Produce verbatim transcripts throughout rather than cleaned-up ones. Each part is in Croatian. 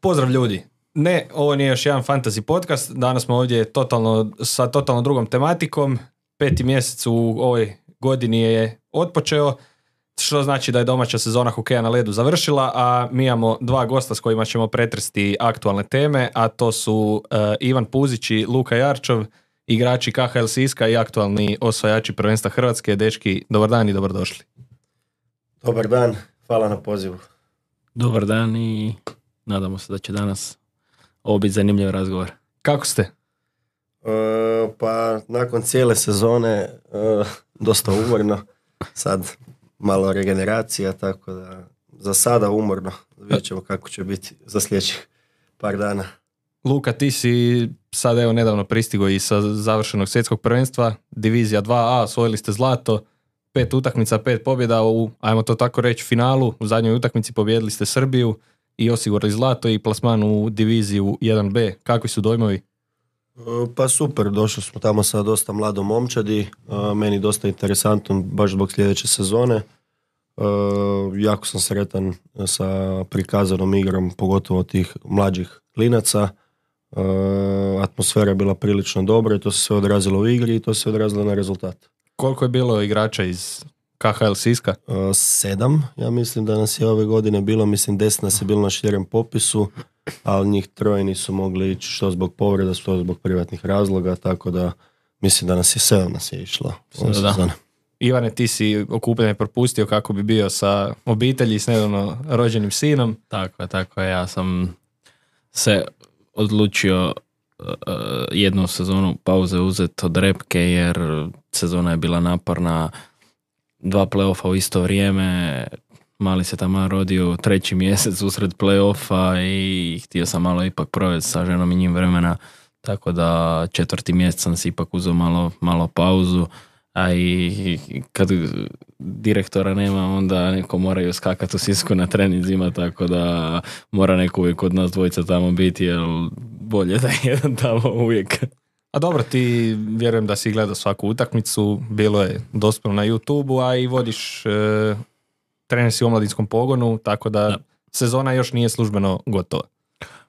Pozdrav ljudi. Ne, ovo nije još jedan fantasy podcast. Danas smo ovdje totalno, sa totalno drugom tematikom. Peti mjesec u ovoj godini je otpočeo, što znači da je domaća sezona hokeja na ledu završila, a mi imamo dva gosta s kojima ćemo pretresti aktualne teme, a to su uh, Ivan Puzić i Luka Jarčov, igrači K H L Siska i aktualni osvajači prvenstva Hrvatske. Dečki, dobar dan i dobrodošli. Dobar dan, hvala na pozivu. Dobar dan i nadamo se da će danas ovo biti zanimljiv razgovor. Kako ste? Uh, pa nakon cijele sezone uh, dosta umorno, sad malo regeneracija, tako da za sada umorno. Vidjet ćemo kako će biti za sljedećih par dana. Luka, ti si sad evo nedavno pristigo i sa završenog svjetskog prvenstva, divizija dva A, osvojili ste zlato, pet utakmica, pet pobjeda u, ajmo to tako reći, finalu. U zadnjoj utakmici pobijedili ste Srbiju i osigurali zlato i plasman u diviziju jedan B. Kakvi su dojmovi? Pa super, došli smo tamo sa dosta mladom momčadi, meni dosta interesantno baš zbog sljedeće sezone. Jako sam sretan sa prikazanom igrom, pogotovo tih mlađih klinaca. Atmosfera je bila prilično dobra i to se sve odrazilo u igri i to se odrazilo na rezultat. Koliko je bilo igrača iz K H L Siska? Sedam, ja mislim da nas je ove godine bilo, mislim deset nas je bilo na širem popisu, ali njih troje nisu mogli ići što zbog povreda, što zbog privatnih razloga, tako da mislim da nas je sedam nas je išlo. Ivane, ti si okupljanje propustio kako bi bio sa obitelji s nedavno rođenim sinom. Tako je, tako je. Ja sam se odlučio uh, jednu sezonu pauze uzeti od repke jer sezona je bila naporna, dva play-offa u isto vrijeme, mali se tamo rodio treći mjesec usred play-offa i htio sam malo ipak provesti sa ženom i njim vremena, tako da četvrti mjesec sam si ipak uzeo malo, malo pauzu, a i kad direktora nema, onda neko moraju skakati u Sisku na treninzima, tako da mora neko uvijek od nas dvojica tamo biti, jer bolje da je jedan tamo uvijek. A dobro, ti vjerujem da si gledao svaku utakmicu, bilo je dostupno na YouTubeu, a i vodiš, e, trener si u omladinskom pogonu, tako da, da sezona još nije službeno gotova.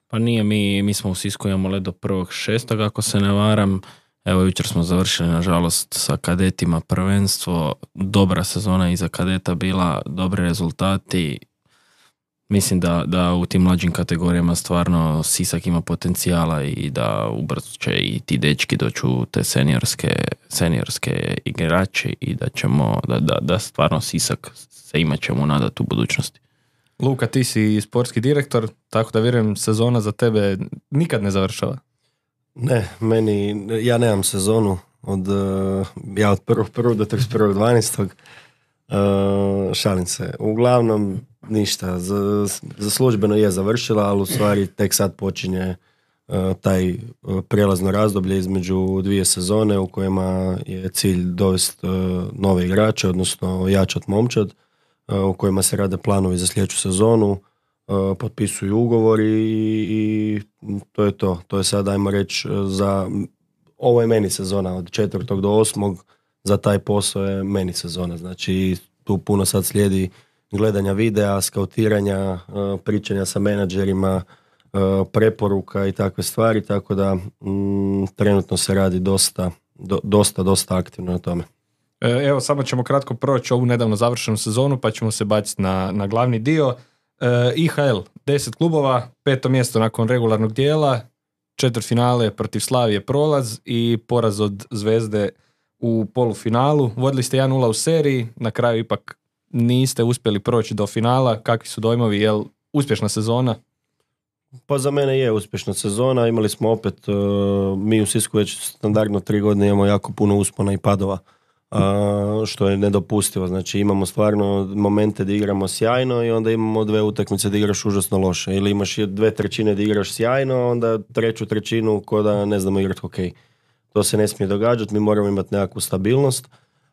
Pa nije, mi, mi smo u Sisku imamo led do prvog šestog, ako se ne varam. Evo, jučer smo završili, nažalost, sa kadetima prvenstvo. Dobra sezona iza kadeta bila, dobri rezultati. Mislim da, da u tim mlađim kategorijama stvarno Sisak ima potencijala i da ubrzo će i ti dečki doći u te seniorske, seniorske igrače i da ćemo, da, da, da stvarno Sisak se imat ćemo nadati u budućnosti. Luka, ti si sportski direktor, tako da vjerujem sezona za tebe nikad ne završava. Ne, meni, ja nemam sezonu od, ja od prvog prvog do trideset prvog dvanaestog Uh, šalim se. Uglavnom ništa, za, za službeno je završila, ali u stvari tek sad počinje uh, taj uh, prijelazno razdoblje između dvije sezone u kojima je cilj dovesti uh, nove igrače, odnosno jačat momčad, uh, u kojima se rade planovi za sljedeću sezonu, uh, potpisuju ugovori i, i to je to. To je sad, ajmo reći, za ovo je meni sezona od četvrtog do osmog. Za taj posao je meni sezona, znači tu puno sad slijedi gledanja videa, skautiranja, pričanja sa menadžerima, preporuka i takve stvari, tako da mm, trenutno se radi dosta, do, dosta, dosta aktivno na tome. Evo, samo ćemo kratko proći ovu nedavno završenu sezonu, pa ćemo se baciti na, na glavni dio. E, I H L, deset klubova, peto mjesto nakon regularnog dijela, četvrtfinale protiv Slavije prolaz i poraz od Zvezde u polufinalu. Vodili ste jedan nula u seriji, na kraju ipak niste uspjeli proći do finala. Kakvi su dojmovi, je li uspješna sezona? Pa za mene je uspješna sezona. Imali smo opet, uh, mi u Sisku već standardno tri godine imamo jako puno uspona i padova, uh, što je nedopustivo. Znači imamo stvarno momente da igramo sjajno i onda imamo dve utakmice da igraš užasno loše. Ili imaš dve trećine da igraš sjajno, onda treću trećinu ko da ne znamo igrati hokej. To se ne smije događati, mi moramo imati nekakvu stabilnost,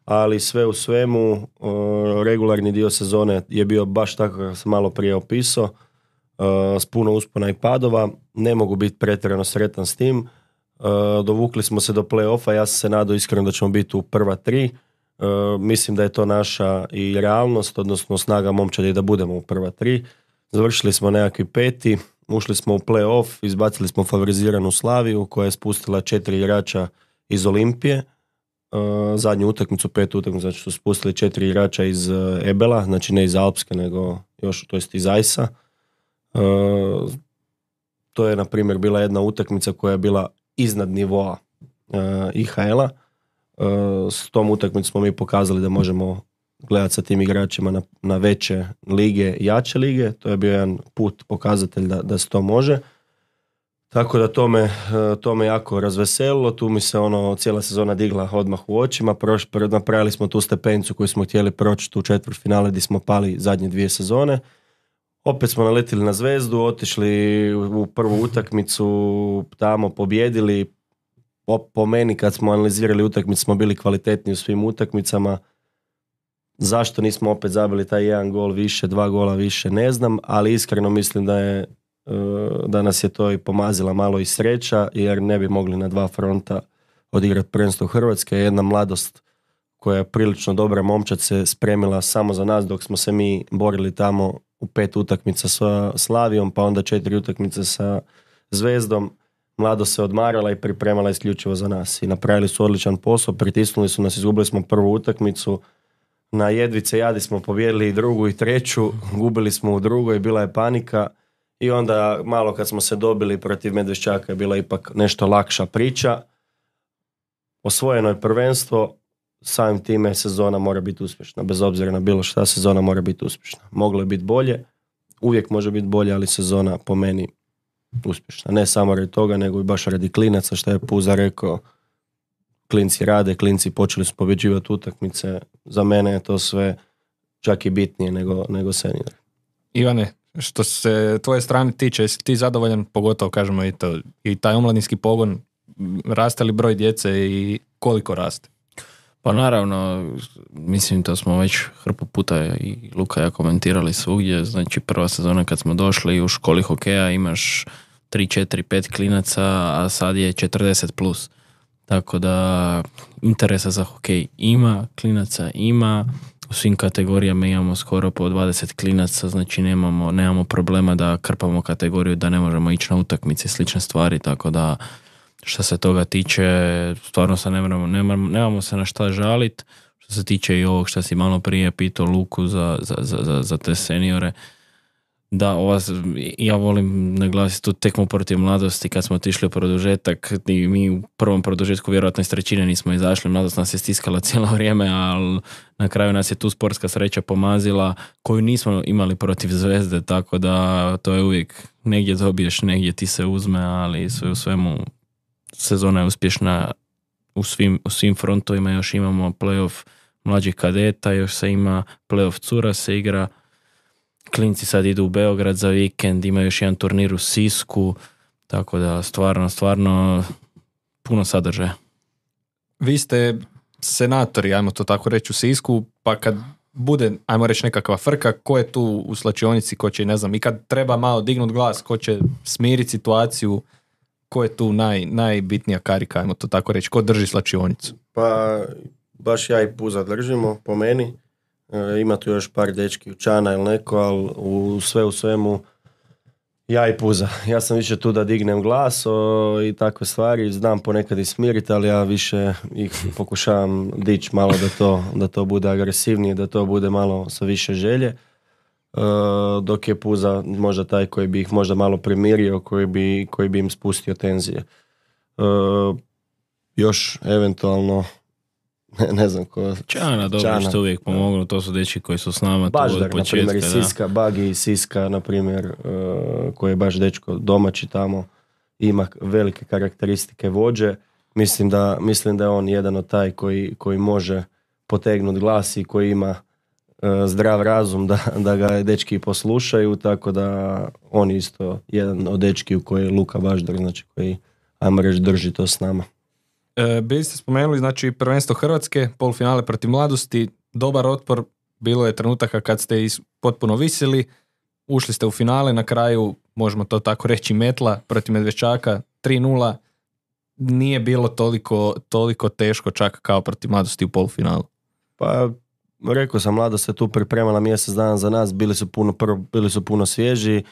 ali sve u svemu uh, regularni dio sezone je bio baš tako kako sam malo prije opisao, uh, s puno uspona i padova. Ne mogu biti pretjerano sretan s tim. Uh, dovukli smo se do play-offa, ja sam se nadao iskreno da ćemo biti u prva tri. Uh, mislim da je to naša i realnost, odnosno snaga momčadi da budemo u prva tri. Završili smo nekakvi peti, ušli smo u play-off, izbacili smo favoriziranu Slaviju koja je spustila četiri igrača iz Olimpije. Uh, zadnju utakmicu, pet utakmicu, znači su spustili četiri igrača iz uh, Ebela, znači ne iz Alpske, nego još, to jest iz Ajsa. Uh, to je, na primjer, bila jedna utakmica koja je bila iznad nivoa uh, I H L-a. Uh, s tom utakmicom smo mi pokazali da možemo gledati sa tim igračima na, na veće lige, jače lige. To je bio jedan put, pokazatelj da, da se to može. Tako da to me, to me jako razveselilo, tu mi se ono cijela sezona digla odmah u očima, Proš, napravili smo tu stepenicu koju smo htjeli proći tu četvrtfinale gdje smo pali zadnje dvije sezone. Opet smo naletili na Zvezdu, otišli u prvu utakmicu, tamo pobjedili. Po, po meni kad smo analizirali utakmicu smo bili kvalitetni u svim utakmicama. Zašto nismo opet zabili taj jedan gol više, dva gola više, ne znam, ali iskreno mislim da je da nas je to i pomazila malo i sreća, jer ne bi mogli na dva fronta odigrati prvenstvo Hrvatske. Jedna mladost koja je prilično dobra momčad se spremila samo za nas dok smo se mi borili tamo u pet utakmica sa Slavijom, pa onda četiri utakmice sa Zvezdom. Mladost se odmarala i pripremala isključivo za nas i napravili su odličan posao, pritisnuli su nas, izgubili smo prvu utakmicu, na jedvice jadi smo pobijedili i drugu i treću, gubili smo u drugoj, bila je panika. I onda malo kad smo se dobili protiv Medveščaka je bila ipak nešto lakša priča. Osvojeno je prvenstvo, samim time sezona mora biti uspješna. Bez obzira na bilo šta, sezona mora biti uspješna. Moglo je biti bolje, uvijek može biti bolje, ali sezona po meni uspješna. Ne samo radi toga, nego i baš radi klinaca, što je Puza rekao. Klinci rade, klinci počeli su pobjeđivati utakmice. Za mene je to sve čak i bitnije nego, nego senior. Ivane, što se tvoje strane tiče, jesi ti zadovoljan, pogotovo kažemo i to, i taj omladinski pogon, raste li broj djece i koliko raste? Pa naravno, mislim to smo već hrpu puta i Luka ja komentirali svugdje, znači prva sezona kad smo došli u školi hokeja imaš tri, četiri, pet klinaca, a sad je četrdeset plus. Tako da interesa za hokej ima, klinaca ima, u svim kategorijama imamo skoro po dvadeset klinaca, znači nemamo, nemamo problema da krpamo kategoriju, da ne možemo ići na utakmice i slične stvari, tako da što se toga tiče, stvarno se nemamo, nemamo, nemamo se na šta žaliti. Što se tiče i ovog što si malo prije pitao Luku za, za, za, za te seniore, da, ova, ja volim naglasiti tu tekmu protiv Mladosti kad smo otišli u produžetak i mi u prvom produžetku vjerojatno iz trećine nismo izašli, Mladost nas je stiskala cijelo vrijeme, ali na kraju nas je tu sportska sreća pomazila koju nismo imali protiv Zvezde, tako da to je uvijek negdje dobiješ, negdje ti se uzme, ali sve u svemu sezona je uspješna u svim, u svim frontovima, još imamo playoff mlađih kadeta, još se ima playoff cura se igra. Klinci sad idu u Beograd za vikend, ima još jedan turnir u Sisku, tako da stvarno, stvarno puno sadržaja. Vi ste senatori, ajmo to tako reći, u Sisku, pa kad bude, ajmo reći, nekakva frka, ko je tu u slačionici, ko će, ne znam, i kad treba malo dignut glas, ko će smiriti situaciju, ko je tu naj, najbitnija karika, ajmo to tako reći, ko drži slačionicu? Pa baš ja i Puza držimo, po meni. E, ima tu još par dečki Učana ili neko, ali u sve u svemu ja i Puza. Ja sam više tu da dignem glas o, i takve stvari, znam ponekad i smiriti, ali ja više ih pokušavam dići malo da to, da to bude agresivnije, da to bude malo sa više želje. E, dok je Puza možda taj koji bi ih možda malo primirio, koji bi, koji bi im spustio tenzije. E, još eventualno Ne, ne znam ko... Čana, dobro, što uvijek pomoglo, to su dečki koji su s nama tu od početka. Baždar, na primjer, i Siska, Bagi i Siska, na primjer, uh, koji je baš dečko domaći tamo, ima velike karakteristike vođe. Mislim da, mislim da je on jedan od taj koji, koji može potegnuti glas i koji ima uh, zdrav razum da, da ga dečki poslušaju, tako da on isto jedan od dečki u koji je Luka Baždar, znači koji, ajmo reći, drži to s nama. E, bili ste spomenuli, znači, prvenstvo Hrvatske, polufinale protiv Mladosti, dobar otpor, bilo je trenutaka kad ste is, potpuno visili, ušli ste u finale, na kraju, možemo to tako reći, metla protiv Medveščaka, tri nula, nije bilo toliko, toliko teško čak kao protiv Mladosti u polufinalu. Pa, rekao sam, Mladost se tu pripremala mjesec dana za nas, bili su puno, prvo, bili su puno svježi,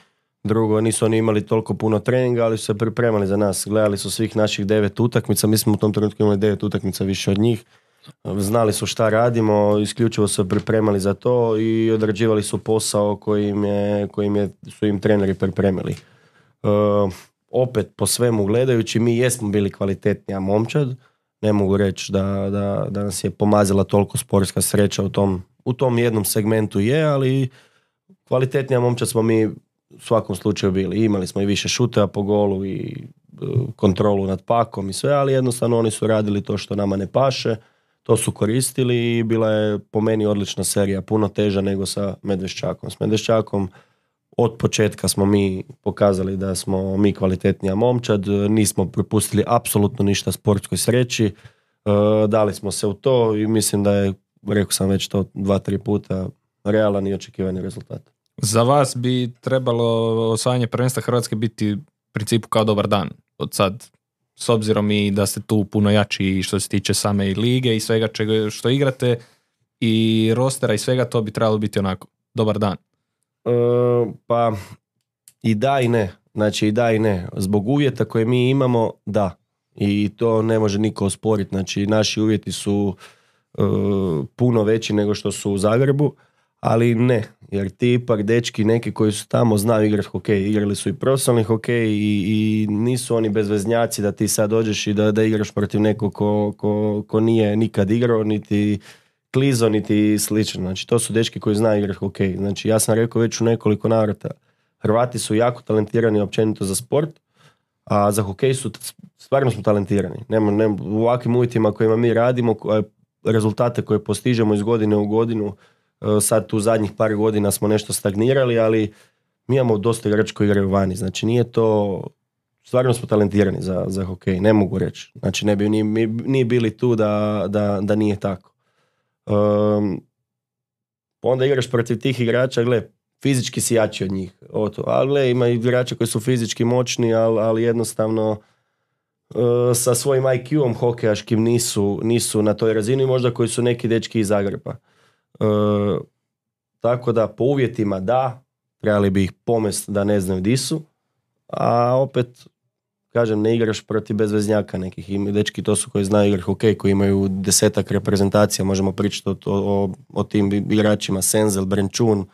Drugo, nisu oni imali toliko puno treninga, ali su se pripremali za nas. Gledali su svih naših devet utakmica, mi smo u tom trenutku imali devet utakmica više od njih. Znali su šta radimo, isključivo su pripremali za to i odrađivali su posao kojim je, kojim je, su im treneri pripremili. Uh, opet, po svemu gledajući, mi jesmo bili kvalitetnija momčad. Ne mogu reći da, da, da nas je pomazila toliko sportska sreća u tom, u tom jednom segmentu je, ali kvalitetnija momčad smo mi u svakom slučaju bili. Imali smo i više šuteva po golu i uh, kontrolu nad pakom i sve, ali jednostavno oni su radili to što nama ne paše. To su koristili i bila je po meni odlična serija, puno teža nego sa Medveščakom. S Medveščakom od početka smo mi pokazali da smo mi kvalitetnija momčad, nismo propustili apsolutno ništa sportskoj sreći, e, dali smo se u to i mislim da je, rekao sam već to dva, tri puta, realan i očekivani rezultat. Za vas bi trebalo osvajanje prvenstva Hrvatske biti u principu kao dobar dan od sad, s obzirom i da ste tu puno jači i što se tiče same i lige i svega čega što igrate i rostera i svega, to bi trebalo biti onako dobar dan. E, pa i da i ne, znači i da i ne. Zbog uvjeta koje mi imamo, da. I to ne može niko osporiti. Znači naši uvjeti su e, puno veći nego što su u Zagrebu, ali ne. Jer ti ipak dečki neki koji su tamo znaju igrati hokej, igrali su i profesionalni hokej i, i nisu oni bezveznjaci da ti sad dođeš i da, da igraš protiv nekog ko, ko, ko nije nikad igrao, niti klizo, niti slično. Znači to su dečki koji znaju igrati hokej. Znači ja sam rekao već u nekoliko navrata, Hrvati su jako talentirani općenito za sport, a za hokej su, stvarno smo talentirani. Nema, nema, u ovakvim uvjetima kojima mi radimo, rezultate koje postižemo iz godine u godinu, sad tu zadnjih par godina smo nešto stagnirali, ali mi imamo dosta igrača koji igraju vani. Znači nije to, stvarno smo talentirani za, za hokej, ne mogu reći. Znači ne bi ni, ni bili tu da, da, da nije tako. Um, onda igraš protiv tih igrača, gle, fizički si jači od njih. Oto. Ali gle, ima igrača koji su fizički moćni, ali, ali jednostavno uh, sa svojim I Q-om hokejaškim nisu, nisu na toj razini, možda koji su neki dečki iz Zagreba. Uh, tako da po uvjetima da, trebali bi ih pomest da ne znaju di su, a opet kažem, ne igraš protiv bezveznjaka nekih. I dečki to su koji znaju igrati hokej, koji imaju desetak reprezentacija, možemo pričati o, o, o tim igračima, Senzel, Brenčun,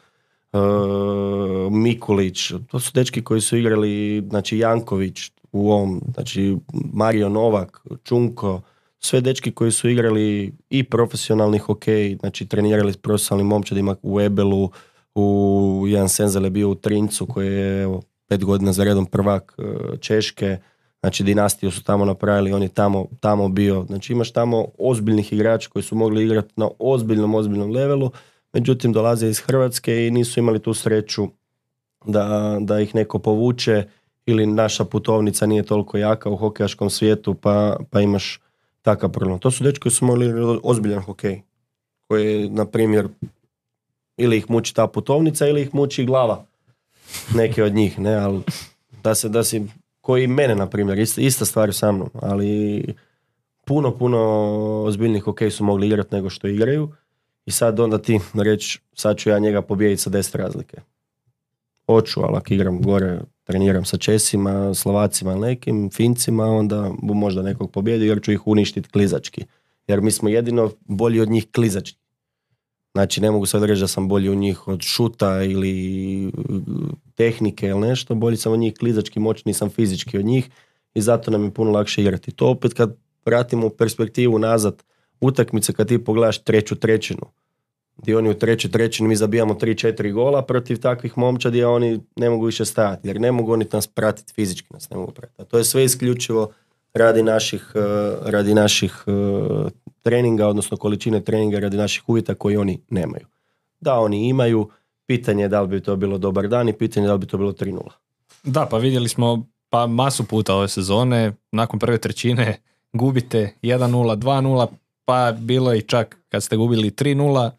uh, Mikulić, to su dečki koji su igrali, znači Janković u ovom, znači Mario Novak, Čunko, sve dečki koji su igrali i profesionalni hokej, znači trenirali s profesionalnim momčadima u Ebelu, u jedan Senzel je bio u Trincu koji je evo, pet godina za redom prvak Češke, znači dinastiju su tamo napravili, on je tamo, tamo bio, znači imaš tamo ozbiljnih igrača koji su mogli igrati na ozbiljnom, ozbiljnom levelu, međutim dolaze iz Hrvatske i nisu imali tu sreću da, da ih neko povuče ili naša putovnica nije toliko jaka u hokejaškom svijetu pa, pa imaš takav problem. To su dečki koji su mogli ozbiljan hokej, koji na primjer ili ih muči ta putovnica ili ih muči glava neke od njih, ne, ali da se, da si, koji mene na primjer, ista, ista stvar sa mnom, ali puno, puno ozbiljnih hokej su mogli igrati nego što igraju i sad onda ti reći, sad ću ja njega pobijediti sa deset razlike. Hoću, ali ako igram gore, treniram sa Česima, Slovacima, nekim, Fincima, onda bu možda nekog pobjedi jer ću ih uništiti klizački. Jer mi smo jedino bolji od njih klizački. Znači ne mogu sad reći da sam bolji od njih od šuta ili tehnike ili nešto, bolji sam od njih klizački, moćniji sam fizički od njih i zato nam je puno lakše igrati. To opet kad pratimo u perspektivu nazad utakmice, kad ti pogledaš treću trećinu, gdje oni u trećoj trećini mi zabijamo tri četiri gola protiv takvih momčadi, a oni ne mogu više stajati, jer ne mogu oni nas pratiti, fizički nas ne mogu pratiti. A to je sve isključivo radi naših, radi naših treninga, odnosno količine treninga, radi naših uvjeta koji oni nemaju. Da, oni imaju, pitanje je da li bi to bilo dobar dan i pitanje je da li bi to bilo tri nula. Da, pa vidjeli smo pa masu puta ove sezone, nakon prve trećine gubite jedan nula, dva nula, pa bilo je i čak kad ste gubili tri nula,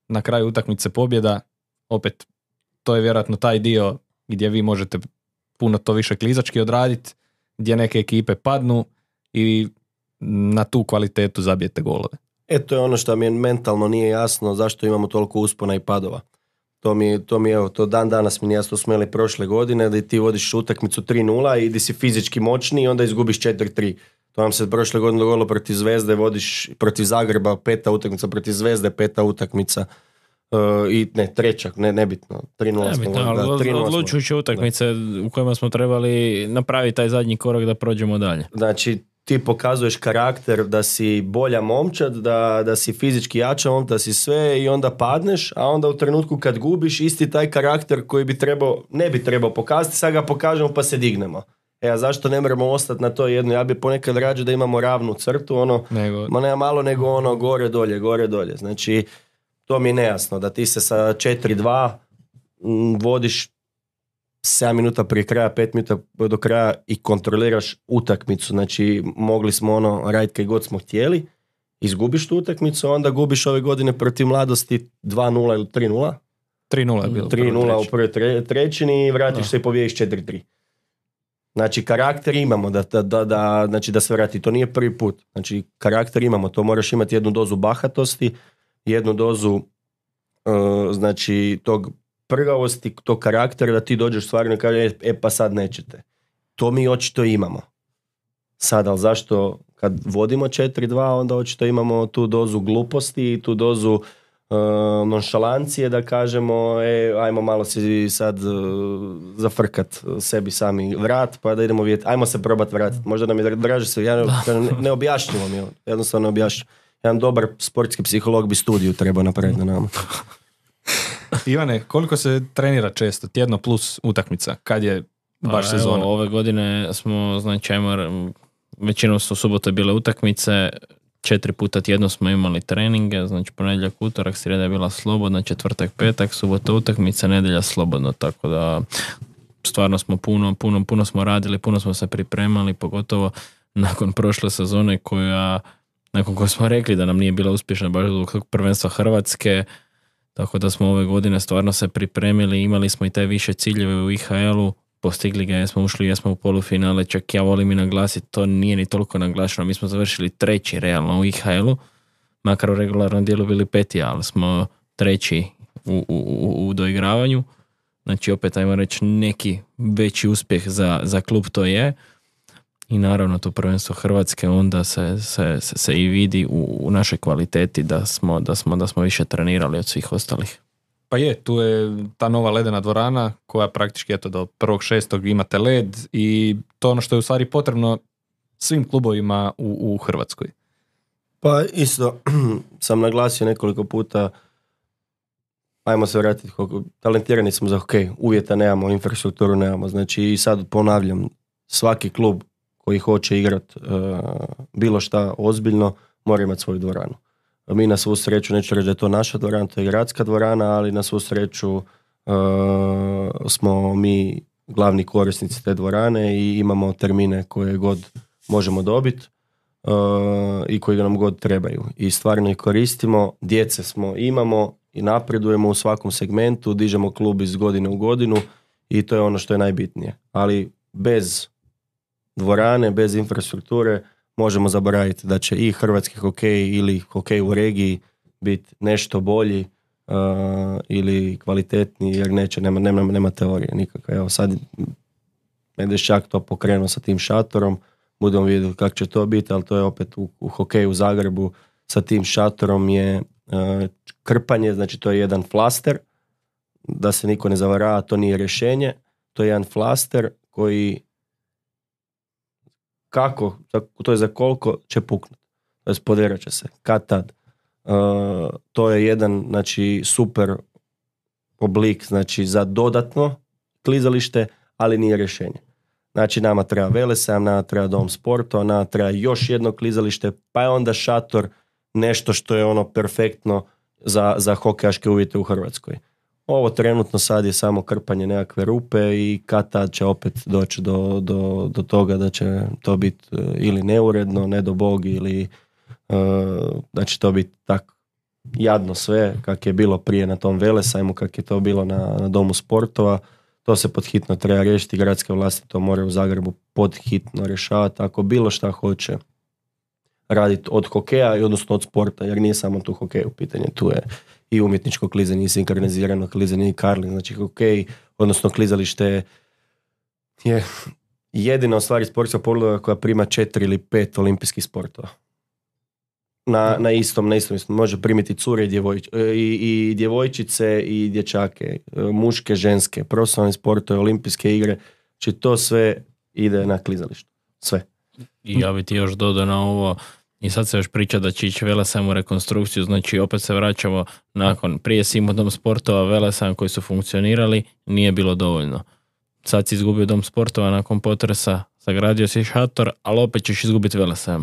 na kraju utakmice pobjeda, opet to je vjerojatno taj dio gdje vi možete puno to više klizački odraditi, gdje neke ekipe padnu i na tu kvalitetu zabijete golove. E, to je ono što mi mentalno nije jasno, zašto imamo toliko uspona i padova. To mi, to mi evo, to dan danas mi nije jasno, smo imali prošle godine da ti vodiš utakmicu tri nula i di si fizički moćni i onda izgubiš četiri tri. To nam se prošle godine dogodilo protiv Zvezde, vodiš protiv Zagreba, peta utakmica, protiv Zvezde, peta utakmica. Uh, i ne, treća, ne, nebitno. tri nula smo vodili. Odlučujuće utakmice u kojima smo trebali napraviti taj zadnji korak da prođemo dalje. Znači, ti pokazuješ karakter da si bolja momčad, da, da si fizički jača momčad, da si sve i onda padneš, a onda u trenutku kad gubiš isti taj karakter koji bi trebao, ne bi trebao pokazati, sad ga pokažemo pa se dignemo. E, a zašto ne moramo ostati na to jedno? Ja bi ponekad rađe da imamo ravnu crtu, ono, nego... ma ne malo nego ono gore dolje, gore dolje. Znači, to mi je nejasno, da ti se sa četiri dva vodiš sedam minuta prije kraja, pet minuta do kraja i kontroliraš utakmicu. Znači, mogli smo ono raditi kaj god smo htjeli, izgubiš tu utakmicu, onda gubiš ove godine protiv Mladosti dva nula ili tri nula. tri nula je bilo. tri nula u prvoj tre, trećini i vratiš no. se i pobiješ četiri tri. Znači, karakter imamo da, da, da, da, znači, da se vrati. To nije prvi put. Znači, karakter imamo. To moraš imati jednu dozu bahatosti, jednu dozu uh, znači, tog prgavosti, tog karaktera da ti dođeš stvarno i kažeš, e pa sad nećete. To mi očito imamo. Sad, ali zašto kad vodimo četiri dva, onda očito imamo tu dozu gluposti i tu dozu uh, nonšalancije da kažemo, e, ajmo malo si sad uh, zafrkat sebi sami vrat, pa da idemo vidjeti, ajmo se probati vratiti. Možda nam je draže se, ja ne, ne objašnjivo mi je, jednostavno ne objašnjivo. Jedan dobar sportski psiholog bi studiju trebao napraviti na nama. Ivane, koliko se trenira često? Tjedno plus utakmica? Kad je baš pa, sezona? Evo, ove godine smo, znači, ajmo, većinom su u subotu bile utakmice, četiri puta tjedno smo imali treninge, znači ponedjeljak, utorak, srijeda je bila slobodna, četvrtak, petak, subota utakmica, nedjelja slobodno, tako da stvarno smo puno, puno, puno smo radili, puno smo se pripremali, pogotovo nakon prošle sezone koja, nakon koje smo rekli da nam nije bila uspješna baš zbog prvenstva Hrvatske, tako da smo ove godine stvarno se pripremili, imali smo i te više ciljeve u I H L-u, postigli ga, jesmo ušli, jesmo u polufinale, čak ja volim i naglasiti, to nije ni toliko naglašeno, mi smo završili treći realno u I H L-u, makar u regularnom dijelu bili peti, ali smo treći u, u, u, u doigravanju, znači opet ajmo reći neki veći uspjeh za, za klub to je. I naravno to prvenstvo Hrvatske onda se, se, se, se i vidi u, u našoj kvaliteti da smo, da, smo, da smo više trenirali od svih ostalih. Pa je, tu je ta nova ledena dvorana koja praktički eto, do prvog šestog imate led i to ono što je u stvari potrebno svim klubovima u, u Hrvatskoj. Pa isto sam naglasio nekoliko puta, ajmo se vratiti, talentirani smo za hokej, uvjeta nemamo, infrastrukturu nemamo, znači i sad ponavljam, svaki klub koji hoće igrati uh, bilo šta ozbiljno, mora imati svoju dvoranu. Mi na svu sreću, neću reći da je to naša dvorana, to je gradska dvorana, ali na svu sreću uh, smo mi glavni korisnici te dvorane i imamo termine koje god možemo dobiti uh, i koji nam god trebaju. I stvarno ih koristimo, djece smo, imamo i napredujemo u svakom segmentu, dižemo klub iz godine u godinu i to je ono što je najbitnije. Ali bez dvorane, bez infrastrukture možemo zaboraviti da će i hrvatski hokej ili hokej u regiji biti nešto bolji uh, ili kvalitetniji, jer neće, nema, nema, nema teorije nikakve. Evo sad Medvešćak to pokrenuo sa tim šatorom, budemo vidjeti kako će to biti, ali to je opet u, u hokeju u Zagrebu sa tim šatorom je uh, krpanje, znači to je jedan flaster, da se niko ne zavarava, to nije rješenje, to je jedan flaster koji kako, to je za koliko će puknuti, to je poderat će se, kad tad. Uh, to je jedan, znači, super oblik, znači, za dodatno klizalište, ali nije rješenje. Znači, nama treba Velesajam, nama treba dom sporta, nama treba još jedno klizalište, pa je onda šator nešto što je ono perfektno za, za hokejaške uvjete u Hrvatskoj. Ovo trenutno sad je samo krpanje nekakve rupe i kad tad će opet doći do, do, do toga da će to biti ili neuredno, ne do Bog, ili uh, da će to biti tako jadno sve kak je bilo prije na tom Velesajmu, kak je to bilo na, na domu sportova. To se pod hitno treba riješiti, gradske vlasti to moraju u Zagrebu pod hitno rješavati. Ako bilo šta hoće raditi od hokeja, i odnosno od sporta, jer nije samo tu hokej u pitanju, tu je i umjetničko klizanje, i sinkronizirano klizanje, i karling, znači hokej, odnosno klizalište je jedina u stvari sportska podloga koja prima četiri ili pet olimpijskih sportova. Na, na istom, na istom, može primiti cure i, djevojč, i, i djevojčice i dječake, muške, ženske, profesionalni sportove, olimpijske igre, znači to sve ide na klizalištu, sve. I ja bi ti još dodao na ovo, i sad se još priča da će ići Velesajm u rekonstrukciju, znači opet se vraćamo nakon, prije si imao dom sportova, Velesajm koji su funkcionirali, nije bilo dovoljno. Sad si izgubio dom sportova nakon potresa, sagradio si šator, ali opet ćeš izgubiti Velesajm.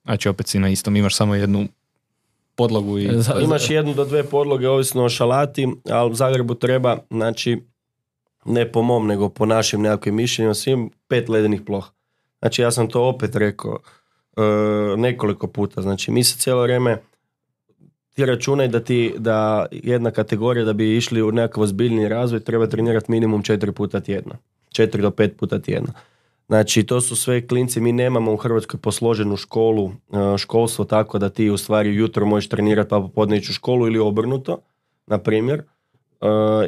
Znači opet si na istom, imaš samo jednu podlogu i... Imaš jednu do dve podloge, ovisno o šalati, ali u Zagrebu treba, znači, ne po mom, nego po našim nekakvim mišljenjima, svim pet ledenih ploha. Znači ja sam to opet rekao e, nekoliko puta, znači mi se cijelo vrijeme, ti računaj da ti, da jedna kategorija da bi išli u nekakav ozbiljni razvoj treba trenirati minimum četiri puta tjedno. Četiri do pet puta tjedno. Znači to su sve klinci, mi nemamo u Hrvatskoj posloženu školu, školstvo tako da ti u stvari jutro možeš trenirati pa popodne ići u školu ili obrnuto, na primjer.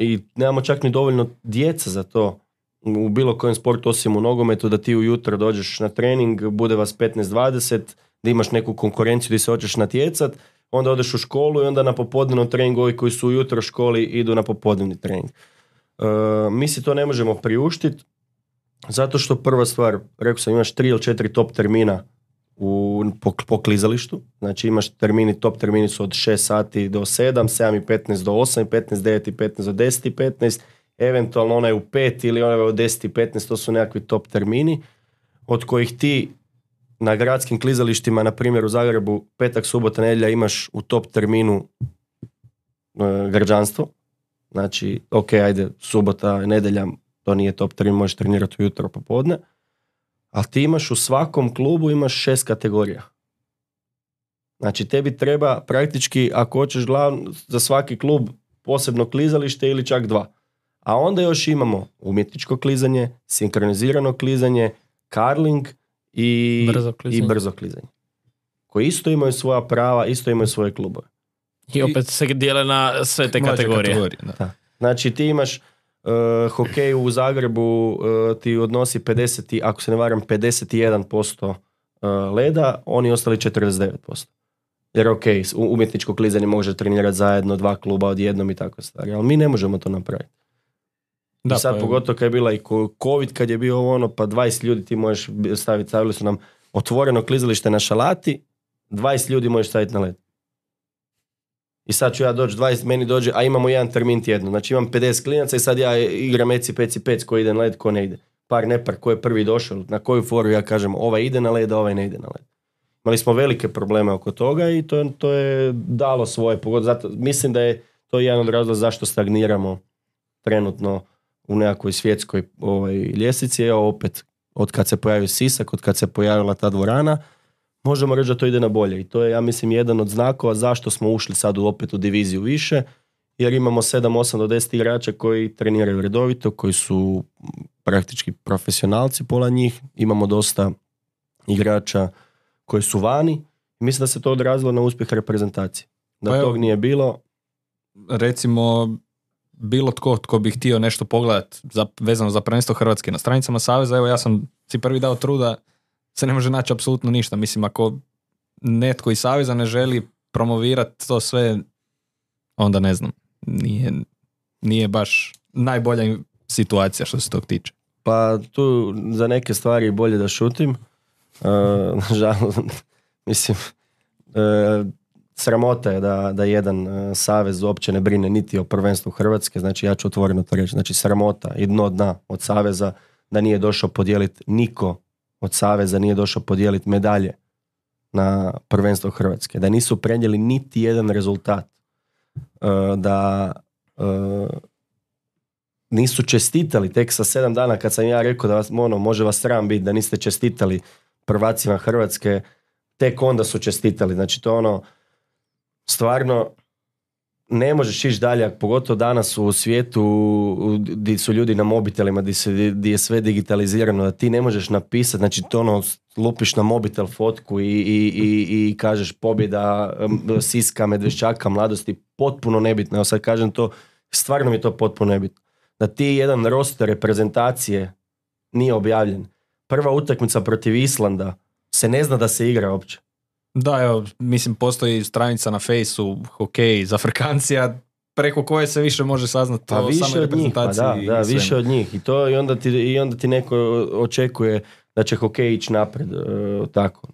I nemamo čak ni dovoljno djeca za to u bilo kojem sportu osim u nogometu da ti ujutro dođeš na trening, bude vas petnaest dvadeset, da imaš neku konkurenciju gdje se hoćeš natjecat, onda odeš u školu i onda na popodnevnom treningu ovi koji su ujutro u školi idu na popodnevni trening. Mi si to ne možemo priuštiti. Zato što prva stvar, rekao sam, imaš tri ili četiri top termina u, po, po klizalištu. Znači imaš termini, top termini su od šest sati do sedam, sedam i petnaest do osam i petnaest, devet i petnaest do deset i petnaest, eventualno onaj u pet ili onaj u deset i petnaest, to su nekakvi top termini, od kojih ti na gradskim klizalištima, na primjer u Zagrebu, petak, subota, nedjelja imaš u top terminu e, građanstvo. Znači, ok, ajde, subota, nedjelja, to nije top termin, možeš trenirati ujutro popodne, ali ti imaš u svakom klubu imaš šest kategorija. Znači tebi treba praktički, ako hoćeš glavno, za svaki klub posebno klizalište ili čak dva. A onda još imamo umjetničko klizanje, sinkronizirano klizanje, karling i brzo klizanje, i brzo klizanje. Koji isto imaju svoja prava, isto imaju svoje klubove. I opet se dijele na sve te kategorije. kategorije da. Da. Znači ti imaš Uh, hokej u Zagrebu uh, ti odnosi pedeset, ako se ne varam, pedeset jedan posto uh, leda, oni ostali četrdeset devet posto. Jer ok, umjetničko klizanje može trenirati zajedno, dva kluba odjednom i tako stvari, ali mi ne možemo to napraviti. Da, I sad pa pogotovo kad je bila i COVID, kad je bio ono, pa dvadeset ljudi ti možeš staviti, stavili su nam otvoreno klizalište na šalati, dvadeset ljudi možeš staviti na led. I sad ću ja doći dvadeset, meni dođe, a imamo jedan termin tjedno. Znači imam pedeset klinaca i sad ja igram eci, peci, pec, ko ide na led, ko ne ide. Par, nepar, ko je prvi došao, na koju foru ja kažem ovaj ide na led, a ovaj ne ide na led. Imali smo velike probleme oko toga i to, to je dalo svoje pogodne. Zato mislim da je to jedan od razloga zašto stagniramo trenutno u nekakvoj svjetskoj ovaj, ljestvici. Evo opet, od kad se pojavio Sisak, od kad se pojavila ta dvorana, možemo reći da to ide na bolje. I to je, ja mislim, jedan od znakova zašto smo ušli sad opet u diviziju više, jer imamo sedam, osam do deset igrača koji treniraju redovito, koji su praktički profesionalci, pola njih. Imamo dosta igrača koji su vani. I mislim da se to odrazilo na uspjeh reprezentacije. Da pa tog nije bilo. Recimo, bilo tko tko bi htio nešto pogledati za, vezano za prvenstvo Hrvatske na stranicama Saveza, evo ja sam si prvi dao truda, se ne može naći apsolutno ništa. Mislim, ako netko iz Saveza ne želi promovirati to sve, onda ne znam, nije, nije baš najbolja situacija što se tog tiče. Pa tu za neke stvari bolje da šutim. Uh, žal, mislim, uh, sramota je da, da jedan uh, savez uopće ne brine niti o prvenstvu Hrvatske, znači ja ću otvoreno to reći, znači sramota i dno dna od saveza da nije došao podijeliti niko od saveza nije došao podijeliti medalje na prvenstvo Hrvatske, da nisu prenijeli niti jedan rezultat, uh, da uh, nisu čestitali tek sa sedam dana kad sam ja rekao da vas, ono, može vas sram biti da niste čestitali prvacima Hrvatske, tek onda su čestitali. Znači to ono, stvarno ne možeš ići dalje, pogotovo danas u svijetu gdje su ljudi na mobitelima, gdje, se, gdje je sve digitalizirano, da ti ne možeš napisati, znači to ono, lupiš na mobitel fotku i, i, i, i kažeš pobjeda Siska, Medveščaka, mladosti, potpuno nebitno. Evo sad kažem to, stvarno mi je to potpuno nebitno. Da ti jedan roster reprezentacije nije objavljen. Prva utakmica protiv Islanda se ne zna da se igra uopće. Da, evo, mislim, postoji stranica na Fejsu, hokej, za Afrikancija, preko koje se više može saznati pa o samoj reprezentaciji. Pa da, da, više od njih. I, to, i, onda ti, I onda ti neko očekuje da će hokej ići napred. E, tako.